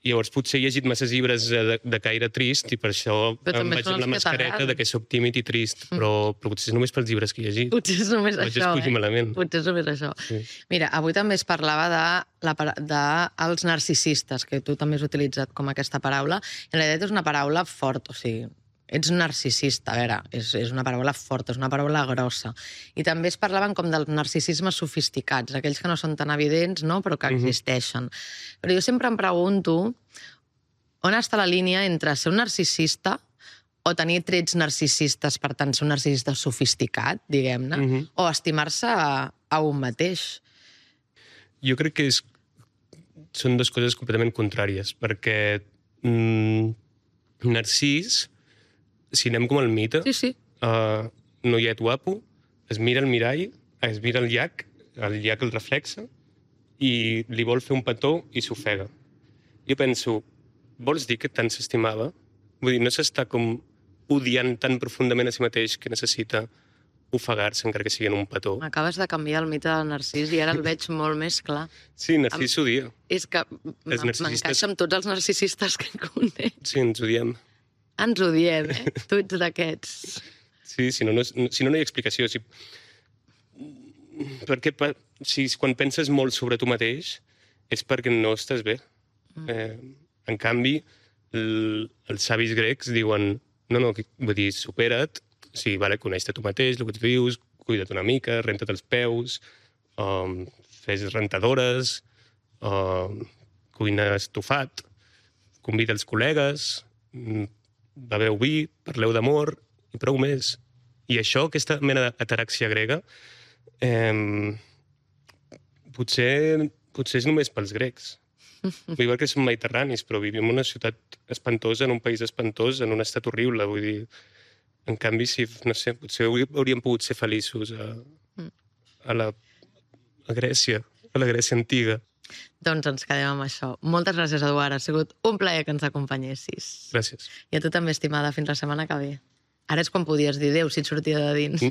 Llavors potser he llegit masses llibres de caire trist i per això em vaig amb la mascareta de que soc tímid i trist, però potser és només pels llibres que he llegit. Potser és només això, malament. Potser és només això. Sí. Mira, avui també es parlava dels narcisistes, que tu també has utilitzat com aquesta paraula. En realitat és una paraula forta, o sigui, ets narcisista, a veure, és una paraula forta, és una paraula grossa. I també es parlaven com dels narcisismes sofisticats, aquells que no són tan evidents, no?, però que existeixen. Però jo sempre em pregunto on està la línia entre ser un narcisista o tenir trets narcisistes, per tant, ser un narcisista sofisticat, diguem-ne, o estimar-se a un mateix. Jo crec que són dues coses completament contràries, perquè Narcís, si anem com el mite, noiet guapo, es mira al mirall, es mira el llac el reflexa, i li vol fer un petó i s'ofega. Jo penso, vols dir que tant s'estimava? Vull dir, no s'està com odiant tan profundament a si mateix que necessita ofegar-se encara que sigui en un petó. M'acabes de canviar el mite del Narcís i ara el veig molt més clar. Sí, Narcís s'odia. És que m'encaixa amb tots els narcisistes que conec. Sí, ens odiem. Ens odiem, Tu ets d'aquests. Sí, si no hi ha explicació. Perquè quan penses molt sobre tu mateix és perquè no estàs bé. En canvi, els savis grecs diuen vull dir, supera't, coneix-te tu mateix, el que tu dius, cuida't una mica, renta't els peus, fes rentadores, cuina estofat, convida els col·legues, beveu vi, parleu d'amor i prou més. I això, aquesta mena d'ataràxia grega, potser és només pels grecs. Vull dir que som mediterranis, però vivim en una ciutat espantosa, en un país espantós, en un estat horrible. Vull dir, en canvi, potser hauríem pogut ser feliços a la Grècia, a la Grècia antiga. Doncs ens quedem amb això. Moltes gràcies, Eduard. Ha sigut un plaer que ens acompanyessis. Gràcies. I a tu també, estimada. Fins la setmana que ve. Ara és quan podies dir adéu si et sortia de dins.